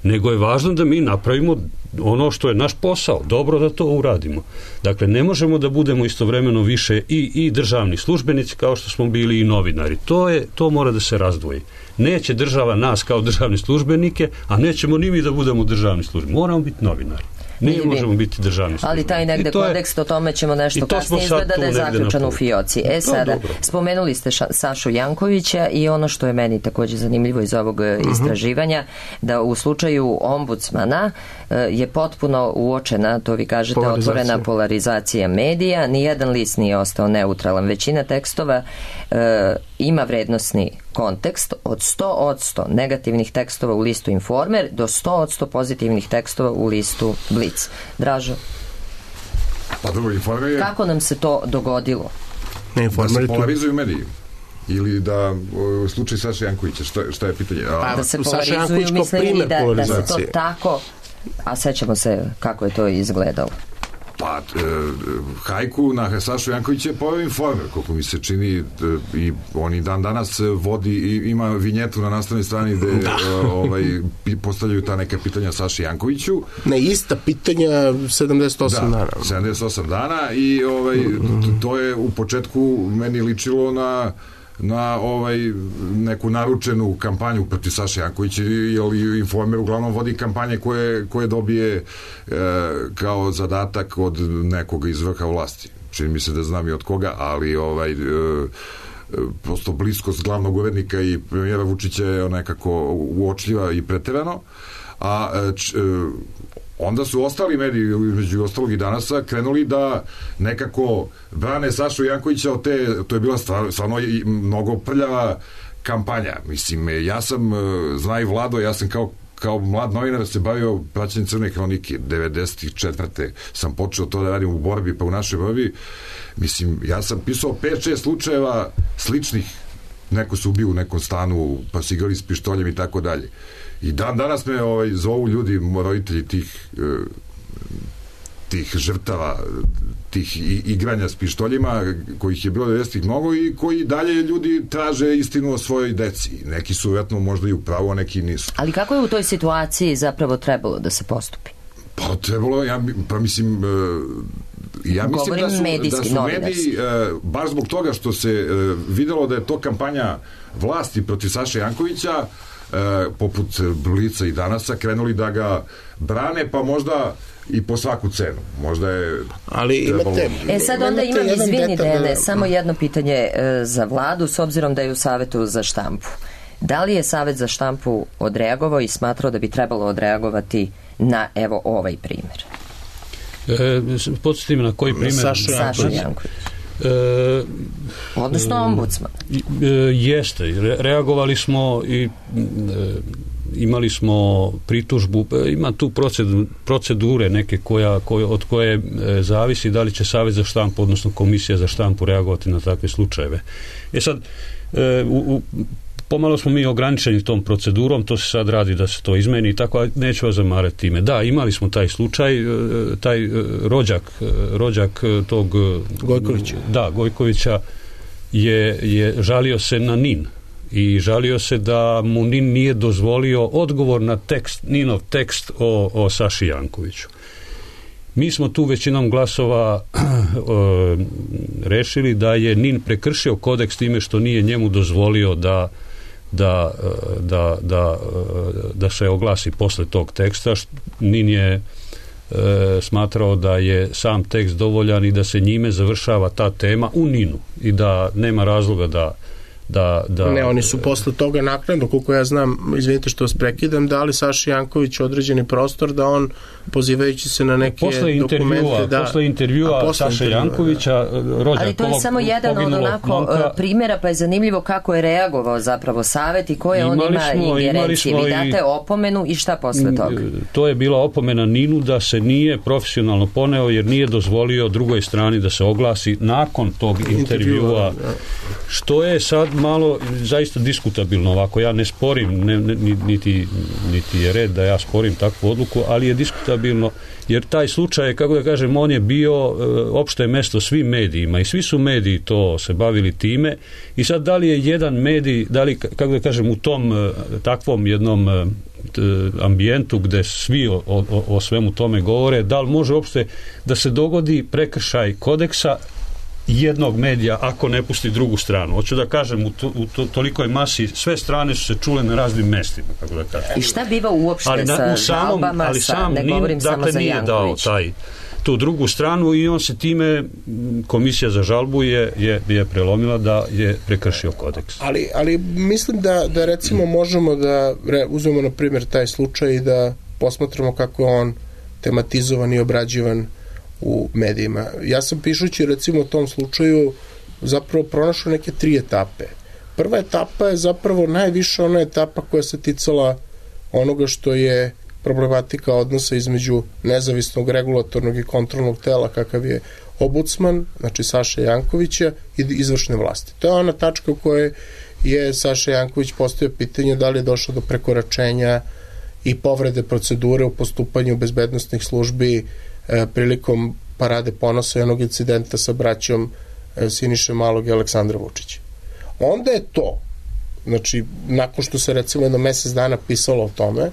Nego je važno da mi napravimo ono što je naš posao, dobro da to uradimo. Dakle, ne možemo da budemo istovremeno više i, i državni službenici kao što smo bili i novinari. To je, to mora da se razdvoji. Neće država nas kao državni službenike, a nećemo ni mi da budemo državni službenici. Moramo biti novinari. Ne možemo biti državni službenik. Ali taj negde kodeks, o tome ćemo nešto kasnije, izgleda da je zaključan u fioci. E sada, dobro. Spomenuli ste ša, Sašu Jankovića i ono što je meni također zanimljivo iz ovog uh-huh. istraživanja, da u slučaju ombudsmana je potpuno uočena, to vi kažete, otvorena polarizacija medija, nijedan list nije ostao neutralan. Većina tekstova e, ima vrednosni kontekst od sto odsto negativnih tekstova u listu Informer do sto odsto pozitivnih tekstova u listu Blic. Dražo, pa dobro, Informer je... kako nam se to dogodilo? Ne, da se polarizuju mediji. Ili da, u slučaju Saša Jankovića, šta, šta je pitanje? A, pa, da se polarizuju, mislim da, da se to tako, a sećamo se kako je to izgledalo. Pa, e, hajku na Sašu Jankovića je poveo Informer, koliko mi se čini, e, i on i dan danas vodi i ima vinjetu na nastavnoj strani gde e, ovaj, postavljaju ta neka pitanja Saši Jankoviću. Ne, ista pitanja sedamdeset osam da, dana. sedamdeset osam dana i ovaj, to je u početku meni ličilo na na ovaj neku naručenu kampanju protiv Saše Jankovića, jer Informer uglavnom vodi kampanje koje, koje dobije e, kao zadatak od nekoga iz vrha vlasti. Čini mi se da znam i od koga, ali ovaj e, prosto bliskost glavnog urednika i premijera Vučića je nekako uočljiva i preterano, a č, onda su ostali mediji, među ostalog i Danasa, krenuli da nekako brane Sašu Jankovića od te, to je bila stvarno, stvarno mnogo prljava kampanja. Mislim, ja sam, zna i Vlado, ja sam kao kao mlad novinar se bavio praćenjem Crne hronike. devedeset četvrte sam počeo to da radim u borbi, pa u našoj borbi. Mislim, ja sam pisao pet šest slučajeva sličnih, neko se ubio u nekom stanu, pa su igrali s pištoljem i tako dalje. I dan danas me ovaj, zovu ljudi, roditelji tih e, tih žrtava, tih igranja s pištoljima, kojih je bilo devedesetih mnogo i koji dalje ljudi traže istinu o svojoj deci. Neki su vjerojatno možda i u pravu, a neki nisu. Ali kako je u toj situaciji zapravo trebalo da se postupi? Pa trebalo, ja, pa mislim, ja mislim da su, da su mediji, baš zbog toga što se videlo da je to kampanja vlasti protiv Saše Jankovića, poput Blica i Danasa, krenuli da ga brane, pa možda i po svaku cenu. Možda je ali imate, e sad onda imam, izvini Dene, da... samo jedno pitanje e, za vladu, s obzirom da je u Savetu za štampu. Da li je Savet za štampu odreagovao i smatrao da bi trebalo odreagovati na evo ovaj primjer? E, podsjetim na koji primjer? Saša Janković. Janković. E, odnosno ombudsman. E, jeste, re, reagovali smo i e, imali smo pritužbu, ima tu procedure neke koja, koja, od koje e, zavisi da li će Savet za štampu, odnosno Komisija za štampu reagovati na takve slučajeve. E sad, e, u, u, pomalo smo mi ograničeni tom procedurom, to se sad radi da se to izmeni i tako, neću vas zamarati time. Da, imali smo taj slučaj, taj rođak, rođak tog Gojkovića. Da, Gojkovića je, je žalio se na NIN i žalio se da mu NIN nije dozvolio odgovor na tekst, NINov tekst o, o Saši Jankoviću. Mi smo tu većinom glasova e, rešili da je NIN prekršio kodeks time što nije njemu dozvolio da da, da, da, da se oglasi posle tog teksta. NIN je e, smatrao da je sam tekst dovoljan i da se njime završava ta tema u NIN-u i da nema razloga da Da, da, ne, oni su posle toga naknadno, koliko ja znam, izvinite što vas prekidam, dali Saši Janković određeni prostor da on, pozivajući se na neke posle dokumente da, posle intervjua Saše Jankovića, rođak, ali to je samo jedan od onako momka, primjera, pa je zanimljivo kako je reagovao zapravo Savet i koje on ima smo, ingerencije. Vi date opomenu i šta posle toga? To je bila opomena NIN-u da se nije profesionalno poneo jer nije dozvolio drugoj strani da se oglasi nakon tog intervjua, što je sad malo zaista diskutabilno ovako. Ja ne sporim, ne, ne, niti, niti je red da ja sporim takvu odluku, ali je diskutabilno jer taj slučaj, kako da kažem, on je bio e, opšte mesto svim medijima i svi su mediji to se bavili time i sad da li je jedan medij, da li, kako da kažem, u tom e, takvom jednom e, ambijentu gde svi o, o, o svemu tome govore, da li može uopšte da se dogodi prekršaj kodeksa jednog medija ako ne pusti drugu stranu. Hoću da kažem, u, to, u to, tolikoj masi sve strane su se čule na raznim mestima, kako da kažem. I šta biva uopšte ali na, sa samom, žalbama, ali sa, sam ne nin, govorim dakle, samo za nije Janković. dao taj, tu drugu stranu i on se time, Komisija za žalbu je, je, je prelomila da je prekršio kodeks. Ali, ali mislim da, da recimo možemo da re, uzmemo na primjer taj slučaj i da posmatramo kako je on tematizovan i obrađivan u medijima. Ja sam pišući recimo o tom slučaju zapravo pronašao neke tri etape. Prva etapa je zapravo najviše ona etapa koja se ticala onoga što je problematika odnosa između nezavisnog regulatornog i kontrolnog tela kakav je ombudsman, znači Saša Jankovića i izvršne vlasti. To je ona tačka u kojoj je Saša Janković postavio pitanje da li je došlo do prekoračenja i povrede procedure u postupanju bezbednosnih službi e, prilikom parade ponosa i onog incidenta sa braćom e, Siniše Malog i Aleksandra Vučića. Onda je to, znači nakon što se recimo jedno mesec dana pisalo o tome,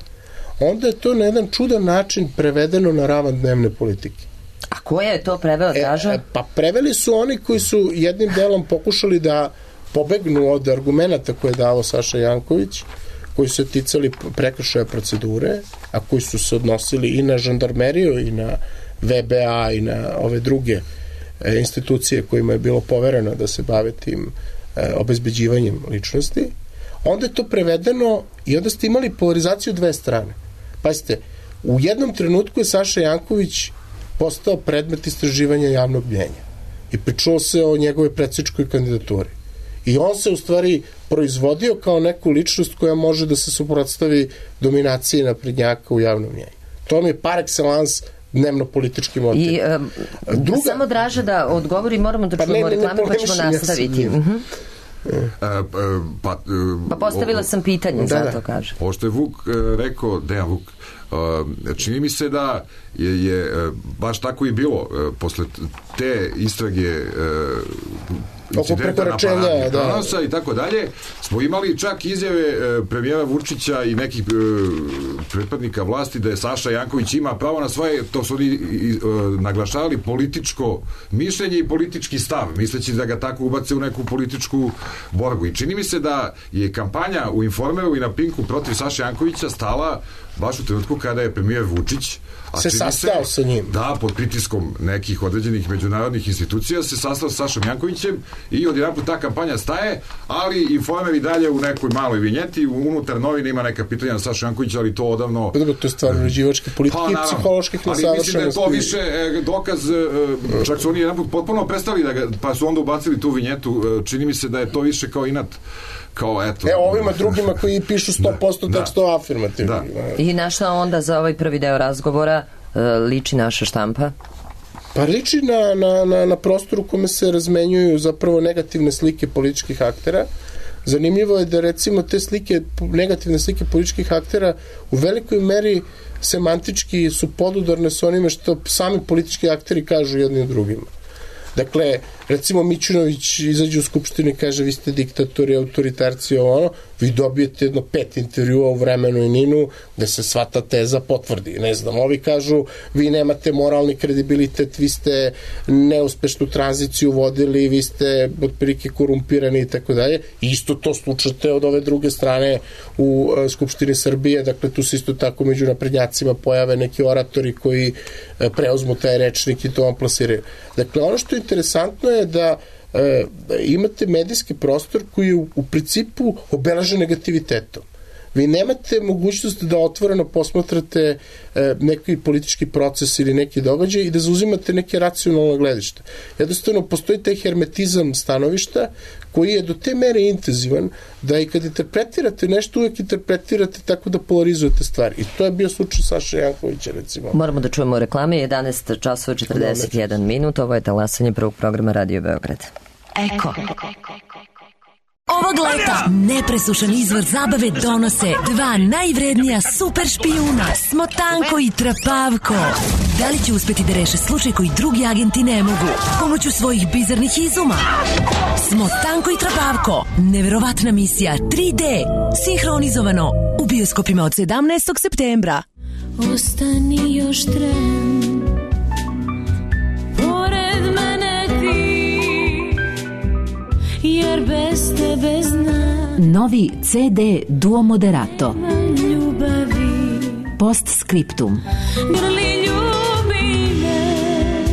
onda je to na jedan čudan način prevedeno na ravan dnevne politike. A koja je to preveo, Draža? E, pa preveli su oni koji su jednim delom pokušali da pobegnu od argumenta koje je dao Saša Janković, koji su se ticali prekršaja procedure, a koji su se odnosili i na žandarmeriju i na V B A i na ove druge e, institucije kojima je bilo povereno da se bave tim e, obezbeđivanjem ličnosti. Onda je to prevedeno i onda ste imali polarizaciju dve strane. Pazite, u jednom trenutku je Saša Janković postao predmet istraživanja javnog mnjenja i pričalo se o njegovoj predsjedničkoj kandidaturi. I on se u stvari proizvodio kao neku ličnost koja može da se suprotstavi dominaciji naprednjaka u javnom mnjenju. To mi je par excellence dnevno-politički motiv. I um, Druga... samo Draža da odgovori, moramo da čujemo pa reklame pa ćemo nastaviti. Uh-huh. A, pa, pa postavila sam pitanje, da, zato da. kaže. Ovo što je Vuk rekao, Dejan Vuk, čini mi se da je, je baš tako i bilo posle te istrage incidenta na Pranosa i tako dalje, smo imali čak izjave premijera Vučića i nekih pretpadnika vlasti da je Saša Janković ima pravo na svoje, to su oni naglašavali, političko mišljenje i politički stav, misleći da ga tako ubace u neku političku borbu. I čini mi se da je kampanja u Informeru i na Pinku protiv Saša Jankovića stala baš u trenutku kada je premijer Vučić a se sastao sa njim. Da, pod pritiskom nekih određenih međunarodnih institucija se sastao sa Sašom Jankovićem i odjedanput ta kampanja staje, ali Informer i dalje u nekoj maloj vinjeti, unutar novine ima neka pitanja na Sašu Jankovića, ali to odavno... Dobro, to je stvarno uređivačke politike pa, i psiholoških nesavršenosti. Ali mislim da je to više e, dokaz, e, čak su oni jedanput potpuno prestali da ga, pa su onda ubacili tu vinjetu, e, čini mi se da je to više kao inat. Kao, eto, e, ovima drugima koji pišu sto posto da, tekstova afirmativno. Da. I na šta onda za ovaj prvi deo razgovora e, liči naša štampa? Pa liči na, na, na, na prostoru u kome se razmenjuju zapravo negativne slike političkih aktera. Zanimljivo je da recimo te slike, negativne slike političkih aktera u velikoj meri semantički su podudarne sa onime što sami politički akteri kažu jednim drugima. Dakle, recimo Mićunović izađe u skupštini i kaže vi ste diktatori, autoritarci, ono, vi dobijete jedno pet intervjua u Vremenu i Ninu gde se sva ta teza potvrdi. Ne znam, ovi kažu vi nemate moralni kredibilitet, vi ste neuspešnu tranziciju vodili, vi ste otprilike korumpirani i tako dalje. Isto to slučate od ove druge strane u uh, Skupštini Srbije, dakle tu se isto tako među naprednjacima pojave neki oratori koji uh, preuzmu taj rečnik i to vam plasiraju. Dakle, ono što je interesantno je da e, imate medijski prostor koji je u, u principu obeležen negativitetom. Vi nemate mogućnost da otvoreno posmatrate e, neki politički proces ili neki događaj i da zauzimate neke racionalne gledište. Jednostavno, postoji taj hermetizam stanovišta koji je do te mere intenzivan da i kad interpretirate nešto, uvek interpretirate tako da polarizujete stvari. I to je bio slučaj Saša Jankovića, recimo. Moramo da čujemo reklame, jedanaest časova četrdeset jedan minut, ovo je talasanje prvog programa Radio Beograd. Eko. Ovog leta nepresušan izvor zabave donose dva najvrednija super špijuna, Smotanko i Trapavko. Da li će uspeti da reše slučaj koji drugi agenti ne mogu pomoću svojih bizarnih izuma? Smotanko i Trapavko, neverovatna misija tri D, sinhronizovano u bioskopima od sedamnaestog septembra. Ostani još tren, pored mene ti, jer bez tebe znam. Novi C D Duo Moderato. Ljubavi. Postscriptum. Grli ljubi me,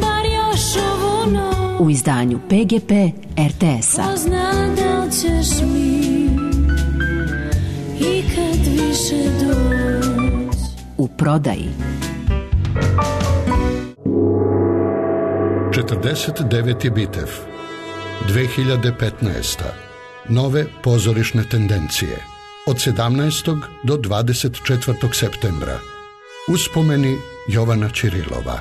bar još ovu noć. U izdanju P G P R T S-a. Ko zna da li ćeš mi ikad više doći. U prodaji. četrdeset deveti Bitev. dve hiljade petnaesta. Nove pozorišne tendencije. Od sedamnaestog do dvadeset četvrtog septembra. Uspomeni Jovana Ćirilova.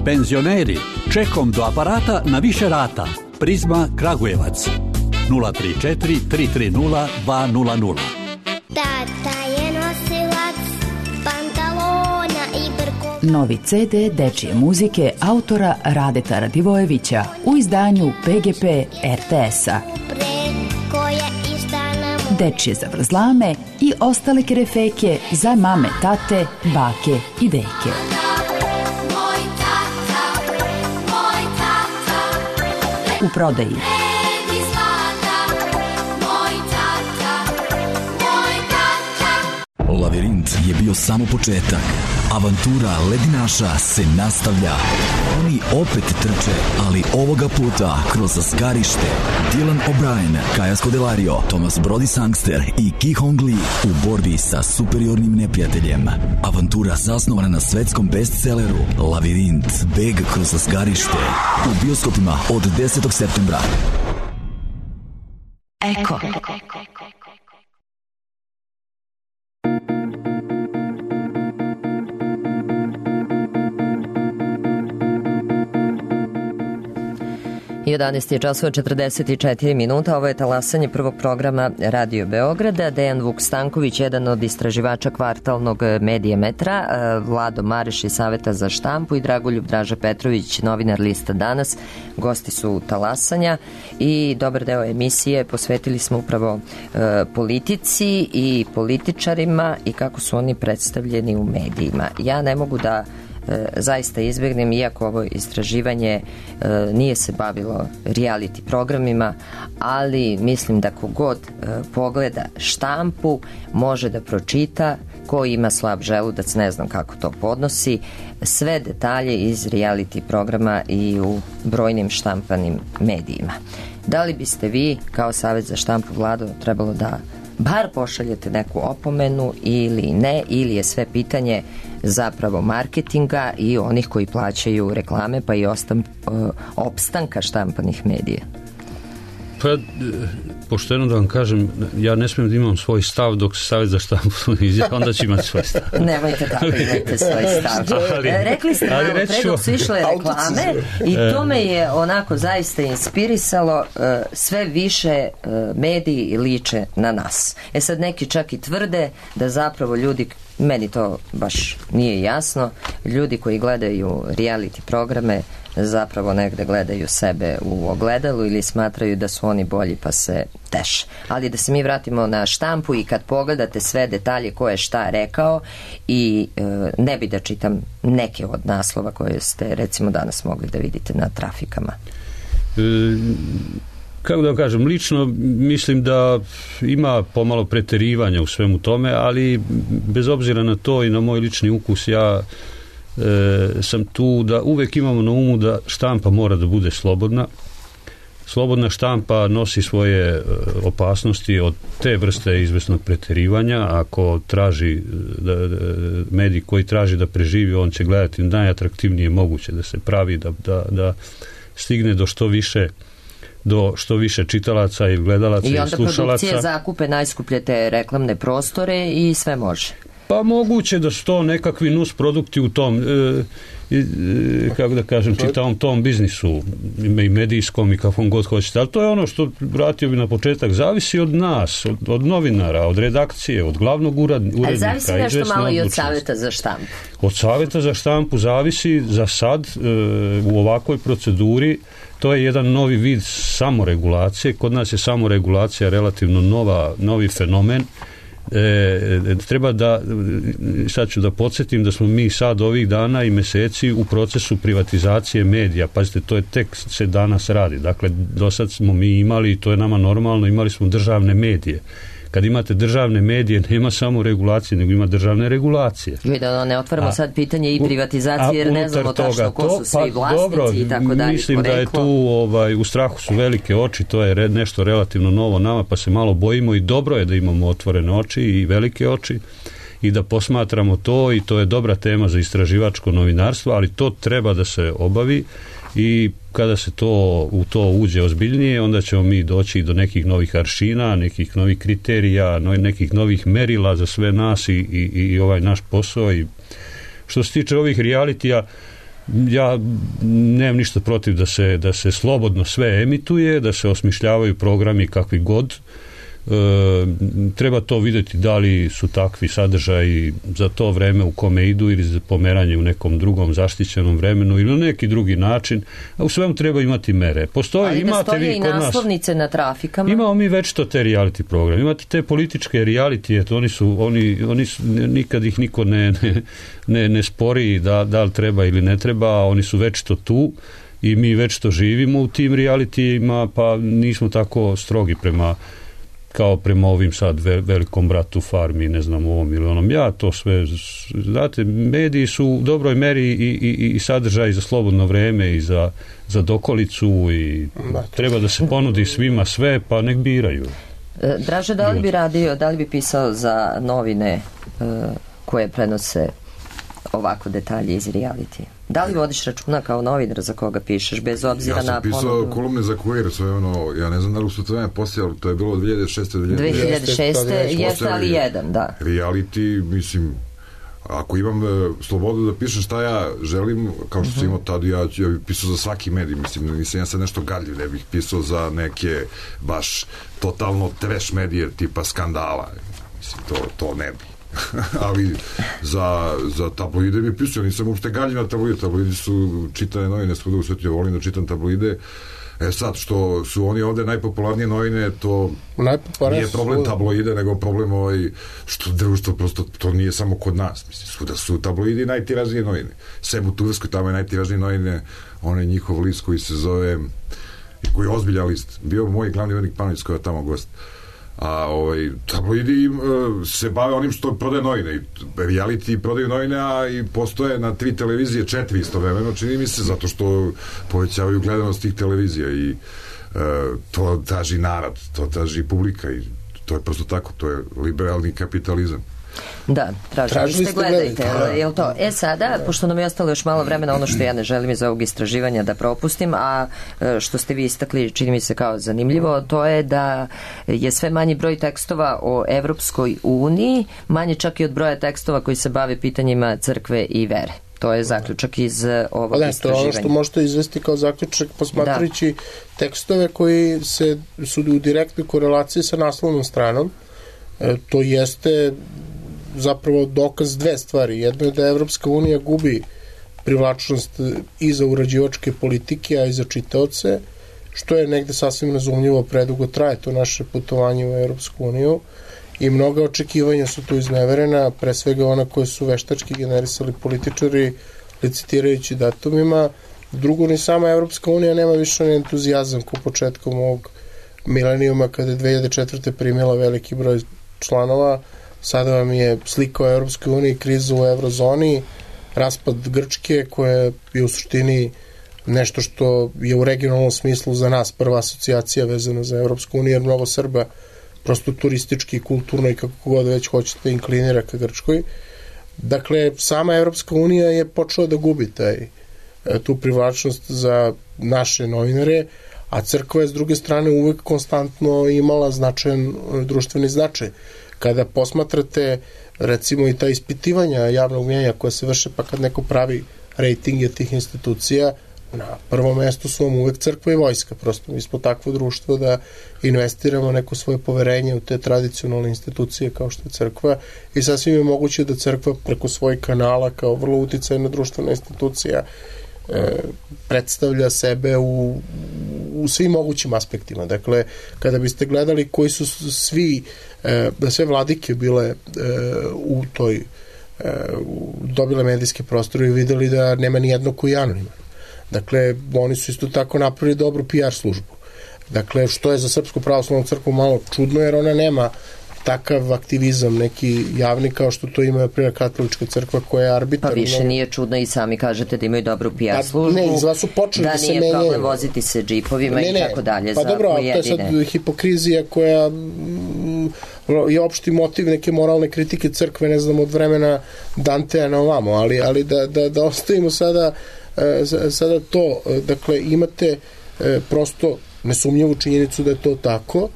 Penzioneri, čekom do aparata na više rata. Prizma Kragujevac. nula tri četiri tri tri nula dva nula nula. Tata je nosilac pantalona i brko. Novi C D dečije muzike autora Radeta Radivojevića u izdanju P G P R T S-a. Dečije zavrzlame i ostale kerefeke za mame, tate, bake i deke. U prodaji. Lavirint je bio samo početak. Avantura ledinaša se nastavlja. Oni opet trče, ali ovoga puta kroz skarište. Dylan O'Brien, Kaja Scodelario, Thomas Brody Sangster i Ki Hong Lee u borbi sa superiornim neprijateljem. Avantura zasnovana na svetskom bestselleru Lavirint, beg kroz skarište. U bioskopima od desetog septembra. Eko. jedanaest je časova četrdeset četiri minuta, ovo je talasanje prvog programa Radio Beograda. Dejan Vuk Stanković, jedan od istraživača kvartalnog Medijametra, Vlado Mareš iz Saveta za štampu i Dragoljub Draža Petrović, novinar lista Danas, gosti su talasanja i dobar deo emisije posvetili smo upravo e, politici i političarima i kako su oni predstavljeni u medijima. Ja ne mogu da zaista izbjegnem, iako ovo istraživanje e, nije se bavilo reality programima, ali mislim da kogod e, pogleda štampu može da pročita, ko ima slab želudac, ne znam kako to podnosi, sve detalje iz reality programa i u brojnim štampanim medijima. Da li biste vi, kao Savet za štampu, Vlado, trebalo da bar pošaljete neku opomenu ili ne, ili je sve pitanje zapravo marketinga i onih koji plaćaju reklame, pa i ostam, opstanka štampanih medija? Pa, pošteno da vam kažem, ja ne smijem da imam svoj stav dok se Savet za štampu izjava, onda ću imati svoj stav. Nemojte tako, imajte svoj stav. Ali, Rekli ste malo pre dok su išle reklame i to me je onako zaista inspirisalo, sve više mediji liče na nas. E sad neki čak i tvrde da zapravo ljudi, meni to baš nije jasno, ljudi koji gledaju reality programe zapravo negde gledaju sebe u ogledalu ili smatraju da su oni bolji pa se teše. Ali da se mi vratimo na štampu i kad pogledate sve detalje ko je šta rekao i e, ne bi da čitam neke od naslova koje ste recimo danas mogli da vidite na trafikama. E, kako da kažem, lično mislim da ima pomalo preterivanja u svemu tome, ali bez obzira na to i na moj lični ukus, ja E, sam tu da uvek imamo na umu da štampa mora da bude slobodna. Slobodna štampa nosi svoje e, opasnosti od te vrste izvesnog preterivanja. Ako traži da, da, medij koji traži da preživi, on će gledati najatraktivnije moguće da se pravi, da, da, da stigne do što više do što više čitalaca i gledalaca i, i slušalaca. I onda produkcije zakupe najskuplje te reklamne prostore i sve može. Pa moguće da su to nekakvi nus produkti u tom, e, e, kako da kažem, čitavom tom biznisu, i medijskom i kakvom god hoćete. Ali to je ono što, vratio bi na početak, zavisi od nas, od, od novinara, od redakcije, od glavnog urednika. Ali zavisi nešto malo i od Saveta za štampu. Od Saveta za štampu zavisi za sad e, u ovakvoj proceduri. To je jedan novi vid samoregulacije. Kod nas je samoregulacija relativno nova, novi fenomen. E, treba da, sad ću da podsjetim da smo mi sad ovih dana i meseci u procesu privatizacije medija. Pazite, to je tek se danas radi. Dakle, do sad smo mi imali, to je nama normalno, imali smo državne medije. Kad imate državne medije, nema samo regulacije, nego ima državne regulacije. I da ne otvaramo a, sad pitanje i privatizacije, jer ne znamo tačno ko su svi pa, vlasnici dobro, i tako dalje. Mislim poreklo. Da je tu, ovaj, u strahu su velike oči, to je re, nešto relativno novo nama, pa se malo bojimo i dobro je da imamo otvorene oči i velike oči i da posmatramo to i to je dobra tema za istraživačko novinarstvo, ali to treba da se obavi i kada se to u to uđe ozbiljnije, onda ćemo mi doći do nekih novih aršina, nekih novih kriterija, nekih novih merila za sve nas i, i, i ovaj naš posao. I što se tiče ovih realitija, ja nemam ništa protiv da se, da se slobodno sve emituje, da se osmišljavaju programi kakvi god. E, treba to vidjeti da li su takvi sadržaji za to vreme u kome idu ili za pomeranje u nekom drugom zaštićenom vremenu ili na neki drugi način, a u svemu treba imati mere. Postoje, ali imate da stoje vi i kod naslovnice nas, na trafikama. Imamo mi već to te reality programe, imate te političke reality, oni su, oni, oni su, nikad ih niko ne, ne, ne, ne spori da, da li treba ili ne treba, oni su već to tu i mi već to živimo u tim realitijima, pa nismo tako strogi prema kao prema ovim sad velikom bratu farmi, ne znam, ovom ili onom. Ja to sve, znate, mediji su u dobroj meri i, i, i sadržaj za slobodno vreme i za, za dokolicu i treba da se ponudi svima sve, pa nek biraju. Draže, da li bi radio, da li bi pisao za novine koje prenose ovako detalje iz reality? Da li vodiš računa kao novinar za koga pišeš, bez obzira na ponudu? Ja sam pisao kolumne za Queer, sve ono, ja ne znam da li su to vreme poslije, ali to je bilo dvije hiljade šeste. dvije hiljade šeste jeste, ali jedan, da. Reality, mislim, Ako imam e, slobodu da pišem šta ja želim, kao što sam imao tada, ja, ja bih pisao za svaki medij, mislim, nisam ja sad nešto gadljiv, ne bih pisao za neke baš totalno trash medije tipa Skandala, mislim, to, to ne bi. Ali za, za tabloide bi pisao, nisam uopšte gadljiv na tabloide, tabloidi su čitane novine, svuda u svetu, ja volim da čitam tabloide. E sad, što su oni ovde najpopularnije novine, to nije problem tabloide, nego problem ovaj, što društvo prosto, to nije samo kod nas, mislim, svuda su tabloidi najtiražnije novine. Seb u Turskoj, tamo je najtiražnije novine, on je njihov list koji se zove, koji je ozbiljan list, bio moj glavni urednik Panović koji je tamo gost. A ovaj, tabloidi im, se bave onim što prodaje novine, i reality prodaju novine, a i postoje na tri televizije, četiri istovremeno, čini mi se, zato što povećavaju gledanost tih televizija i uh, to traži narod, to traži publika i to je prosto tako, to je liberalni kapitalizam. Da, tražili ste, gledajte, je li to? E sada, pošto nam je ostalo još malo vremena, ono što ja ne želim iz ovog istraživanja da propustim, a što ste vi istakli, čini mi se kao zanimljivo, to je da je sve manji broj tekstova o Evropskoj uniji, manje čak i od broja tekstova koji se bave pitanjima crkve i vere. To je zaključak iz ovog ne, istraživanja. To je ono što možete izvesti kao zaključak posmatrajući da. tekstove koji se, su u direktnoj korelaciji sa naslovnom stranom. E, to jeste zapravo dokaz dve stvari. Jedno je da Evropska unija gubi privlačnost i za urađivačke politike, a i za čitaoce, što je negde sasvim razumljivo, predugo traje to naše putovanje u Evropsku uniju i mnoga očekivanja su tu izneverena, pre svega ona koje su veštački generisali političari licitirajući datumima. Drugo, ni sama Evropska unija nema više ni entuzijazam ko početkom ovog milenijuma kada je dve hiljade četvrte primila veliki broj članova. Sada vam je slika o Evropskoj uniji, kriza u eurozoni, raspad Grčke koja je u suštini nešto što je u regionalnom smislu za nas prva asocijacija vezana za Evropsku uniju, jer mnogo Srba prosto turistički, kulturno i kako god već hoćete inklinira ka Grčkoj. Dakle, sama Evropska unija je počela da gubi taj, tu privlačnost za naše novinare, a crkva je s druge strane uvek konstantno imala značajan društveni značaj. Kada posmatrate recimo i ta ispitivanja javnog mnjenja koja se vrše, pa kad neko pravi rejtinge tih institucija, na prvom mestu su vam uvek crkva i vojska. Prosto mi smo takvo društvo da investiramo neko svoje poverenje u te tradicionalne institucije kao što je crkva i sasvim je moguće da crkva preko svojih kanala kao vrlo uticajna društvena institucija e, predstavlja sebe u, u svim mogućim aspektima. Dakle, kada biste gledali koji su svi da sve vladike bile e, u toj e, dobile medijske prostore i videli da nema ni jednog koji je anoniman. Dakle, oni su isto tako napravili dobru P R službu. Dakle, što je za Srpsku pravoslavnu crkvu malo čudno, jer ona nema takav aktivizam neki javni kao što to ima primjer katolička crkva koja je arbitarna. Pa više nije čudno i sami kažete da imaju dobru P R službu. Ne, izva su počeli da, da se menjaju. Da nije problem voziti se džipovima ne, ne, i tako dalje. Pa dobro, to je sad hipokrizija koja mm, je opšti motiv neke moralne kritike crkve, ne znam, od vremena Dantea na ovamo, ali, ali da, da, da ostavimo sada, sada to. Dakle, imate prosto nesumnjivu činjenicu da je to tako.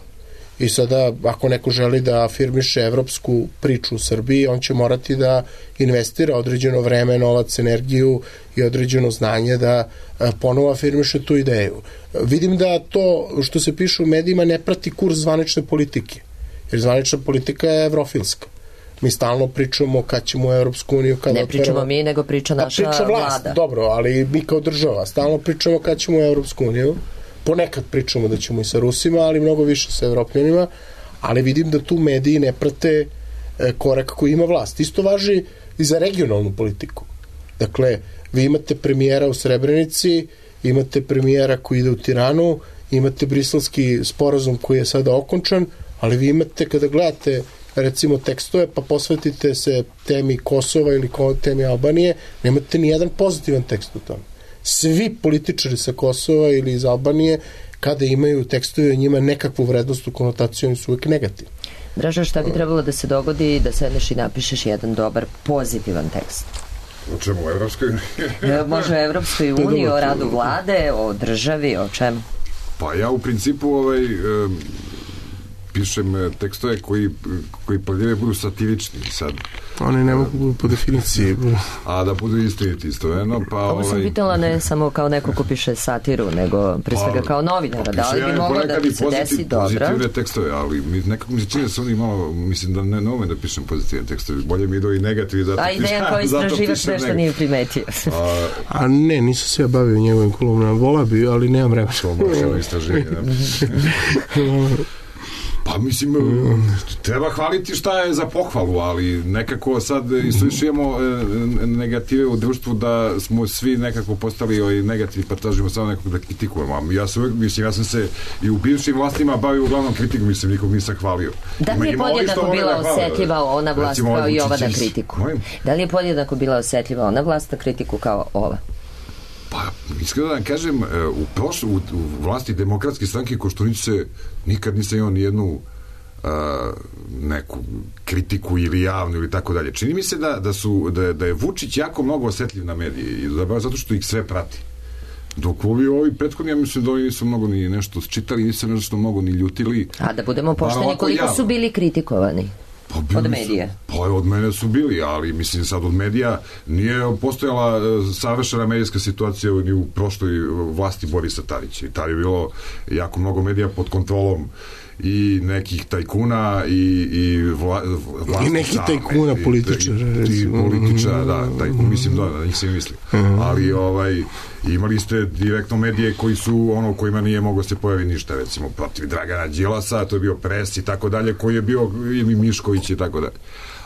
I sada, ako neko želi da afirmiše evropsku priču u Srbiji, on će morati da investira određeno vreme, novac, energiju i određeno znanje da ponovo afirmiše tu ideju. Vidim da to što se piše u medijima ne prati kurs zvanične politike, jer zvanična politika je evrofilska. Mi stalno pričamo kad ćemo u Evropsku uniju, kada ne pričamo otveramo... mi, nego priča naša priča vlast, vlada. Dobro, ali mi kao država stalno pričamo kad ćemo u Evropsku uniju. Ponekad pričamo da ćemo i sa Rusima, ali mnogo više sa Evropljanima, ali vidim da tu mediji ne prate korak koji ima vlast. Isto važi i za regionalnu politiku. Dakle, vi imate premijera u Srebrenici, imate premijera koji ide u Tiranu, imate briselski sporazum koji je sada okončan, ali vi imate, kada gledate recimo tekstove, pa posvetite se temi Kosova ili temi Albanije, nemate ni jedan pozitivan tekst u tome. Svi političari sa Kosova ili iz Albanije, kada imaju tekstove o njima nekakvu vrednost u konotaciju, oni su uvijek negativni. Draža, šta bi trebalo da se dogodi da sedneš i napišeš jedan dobar pozitivan tekst? O čemu? O Evropskoj uniji? Može o Evropskoj uniji, o radu vlade, o državi, o čemu? Pa ja u principu ovaj, pišem tekstove koji, koji pladljeve budu satirični sad. Oni ne mogu budu po definiciji. A da budu istiniti istovremeno. Pa, Ovo sam ovaj... pitala ne samo kao neko ko piše satiru, nego pre svega kao novinara. Da li bi moglo da ti se desi dobro? Pozitivne tekstove, ali mi, nekako mi se čini da se oni malo, mislim da ne, ne umem da pišem pozitivne tekstove. Bolje mi idu i negativi, zato pišem. A ideja koji istraživaš nešto nije primetio. A, A ne, nisam se ja bavio njegovim kolumnama. Vola bi, ali nemam vremena. To baš je istraživanje. Pa mislim, treba hvaliti šta je za pohvalu, ali nekako sad islišujemo negative u društvu da smo svi nekako postali ovaj negativ, pa tražimo samo nekog da kritikujemo. Ja sam, mislim, ja sam se i u bivšim vlastima bavio uglavnom kritiku, mislim, nikog nisam hvalio. Da li je podjednako bila osetljiva ona vlast kao i ova na kritiku? Da li je podjednako bila osetljiva ona vlast na kritiku kao ova? Pa, iskreno da vam kažem, u, prošlo, u, u vlasti demokratske stranke Koštunici se nikad nisam imao nijednu a, neku kritiku ili javnu ili tako dalje. Čini mi se da, da, su, da, da je Vučić jako mnogo osetljiv na medije i zapravo zato što ih sve prati. Dok ovi, ovi prethodni, ja mislim da ovi nisu mnogo ni nešto čitali, nisu nešto mnogo ni ljutili. A da budemo pošteni, koliko javno su bili kritikovani? Pa od medija? Pa od mene su bili, ali mislim sad od medija nije postojala savršena medijska situacija ni u prošloj vlasti Borisa Tadića. I tad je bilo jako mnogo medija pod kontrolom i nekih tajkuna i, i vla, vlasti i nekih same, tajkuna političara i, i političara, da, tajkun, mislim da, da njih se misli. Uh-huh. Ali ovaj, imali ste direktno medije koji su ono kojima nije moglo se pojavi ništa, recimo protiv Dragana Đilasa, to je bio Pres i tako dalje, koji je bio i Mišković i tako dalje.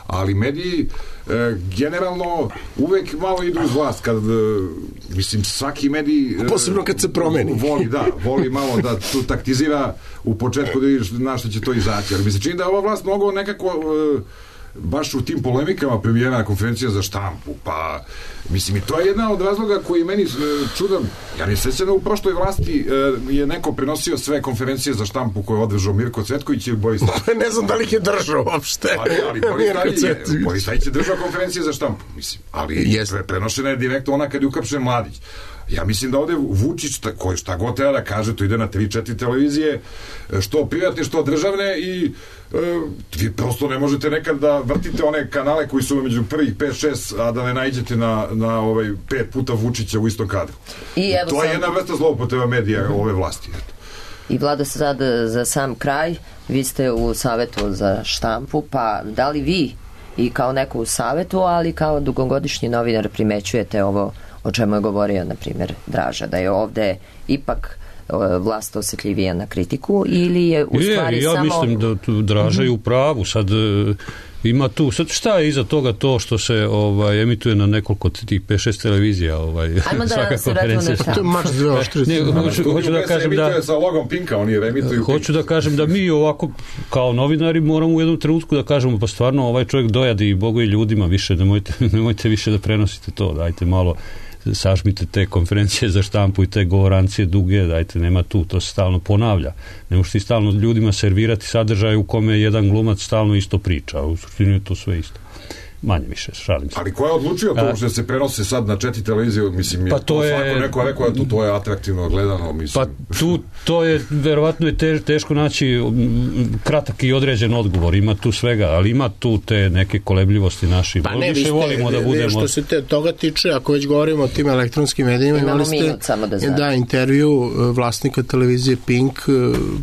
Ali mediji e, generalno uvek malo idu uz vlast kad, e, mislim, svaki medij e, posebno kad se promeni voli, da, voli malo da tu taktizira u početku da vidiš na što će to izaći, ali mi se čini da ova vlast mnogo nekako e, baš u tim polemikama premijerna konferencija za štampu, pa mislim i to je jedna od razloga koji meni e, čudan, ja ne sećam da u prošloj vlasti e, je neko prenosio sve konferencije za štampu koje je održao Mirko Cvetković ili Boris Tadić. Ne znam da li ih je držao uopšte. Pa ne, ali Boris Tadić je, Boris Tadić je držao konferencije za štampu, mislim, ali yes. prenošena je direktno ona kad je uhapšen Mladić. Ja mislim da ovde Vučić, koji šta god treba da kaže, to ide na tri četiri televizije, što privatne, što državne i e, vi prosto ne možete nekad da vrtite one kanale koji su među prvih pet šest, a da ne nađete na, na ovaj pet puta Vučića u istom kadru. I evo to je sam... jedna vrsta zloupotreba medija ove vlasti. I Vlado, sad za sam kraj, vi ste u Savetu za štampu, pa da li vi i kao neko u Savetu, ali kao dugogodišnji novinar primećujete ovo o čemu je govorio, na primjer, Draža, da je ovde ipak vlast osjetljivija na kritiku ili je u stvari je, ja samo... Ja mislim da tu Draža je u pravu. Sad ima tu, sad šta je iza toga to što se ovaj, emituje na nekoliko tih pet šest televizija ovaj, ajmo da se vratimo na šta. To je mač dve oštrice. Hoću, hoću da kažem da sa logom Pinka, oni remituju hoću da kažem da mi ovako kao novinari moramo u jednom trenutku da kažemo pa stvarno ovaj čovjek dojadi i Bogu i ljudima više, nemojte, nemojte više da prenosite to, dajte malo sažmite te konferencije za štampu i te govorancije duge, dajte, nema tu, to se stalno ponavlja. Ne možete stalno ljudima servirati sadržaj u kome jedan glumac stalno isto priča, a u suštini je to sve isto. Manje više, šalim se. Ali ko je odlučio to što se prenose sad na četiri televizije, mislim, pa to je, svako neko rekao da to je atraktivno gledano, mislim. Pa tu, to je, verovatno je te, teško naći kratak i određen odgovor, ima tu svega, ali ima tu te neke kolebljivosti naši. Pa ne, vi ste, volimo da budemo... što se te, toga tiče, ako već govorimo o tim elektronskim medijima, imali ste da, da intervju vlasnika televizije Pink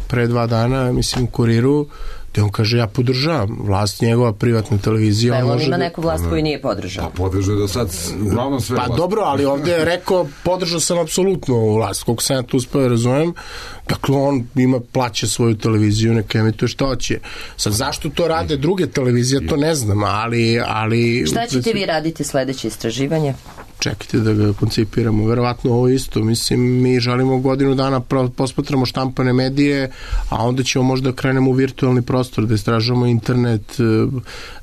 pre dva dana, mislim, u Kuriru, gde on kaže, ja podržavam vlast, njegova privatna televizija. Pa on ima neku vlast koju nije podržao. Pa podržao da sad uglavnom sve Pa vlast. Dobro, ali ovde je rekao, podržao sam apsolutno vlast, koliko sam ja tu uspeo razumem. Dakle, on ima, plaća svoju televiziju, neka emituje šta hoće. Sad, zašto to rade druge televizije, to ne znam, ali... ali šta ćete vi raditi sledeće istraživanje? Čekajte da ga koncipiramo, verovatno ovo isto, mislim, mi želimo godinu dana posmatramo štampane medije, a onda ćemo možda krenemo u virtualni prostor da istražujemo internet,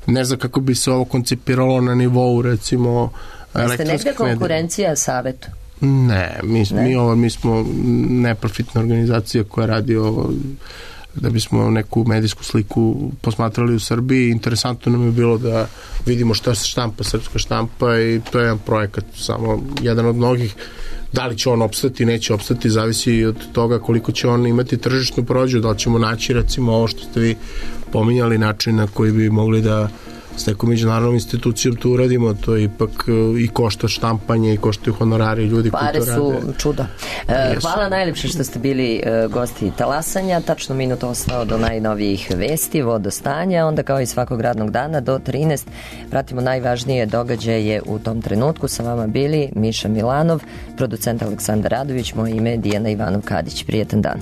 ne znam kako bi se ovo koncipiralo na nivou, recimo, elektronskih medija. Jeste negde konkurencija Savetu? Ne, mi, ne? Mi, ovo, mi smo neprofitna organizacija koja radi ovo da bismo neku medijsku sliku posmatrali u Srbiji. Interesantno nam je bilo da vidimo šta se štampa, srpska štampa, i to je jedan projekat, samo jedan od mnogih Da li će on opstati, neće opstati, zavisi od toga koliko će on imati tržišnu prođu, da li ćemo naći recimo ovo što ste vi pominjali, način na koji bi mogli da s nekom međunarodnom institucijom to uradimo, to je ipak i košta štampanje i koštaju honorari ljudi koji to rade. Pare su čudo. E, hvala najljepše što ste bili e, gosti Talasanja, tačno minut ostao do najnovijih vesti, vodostanja, onda kao i svakog radnog dana do trinaest pratimo najvažnije događaje u tom trenutku. Sa vama bili Miša Milanov, producent Aleksandar Radović, moje ime je Dijana Ivanov Kadić. Prijetan dan.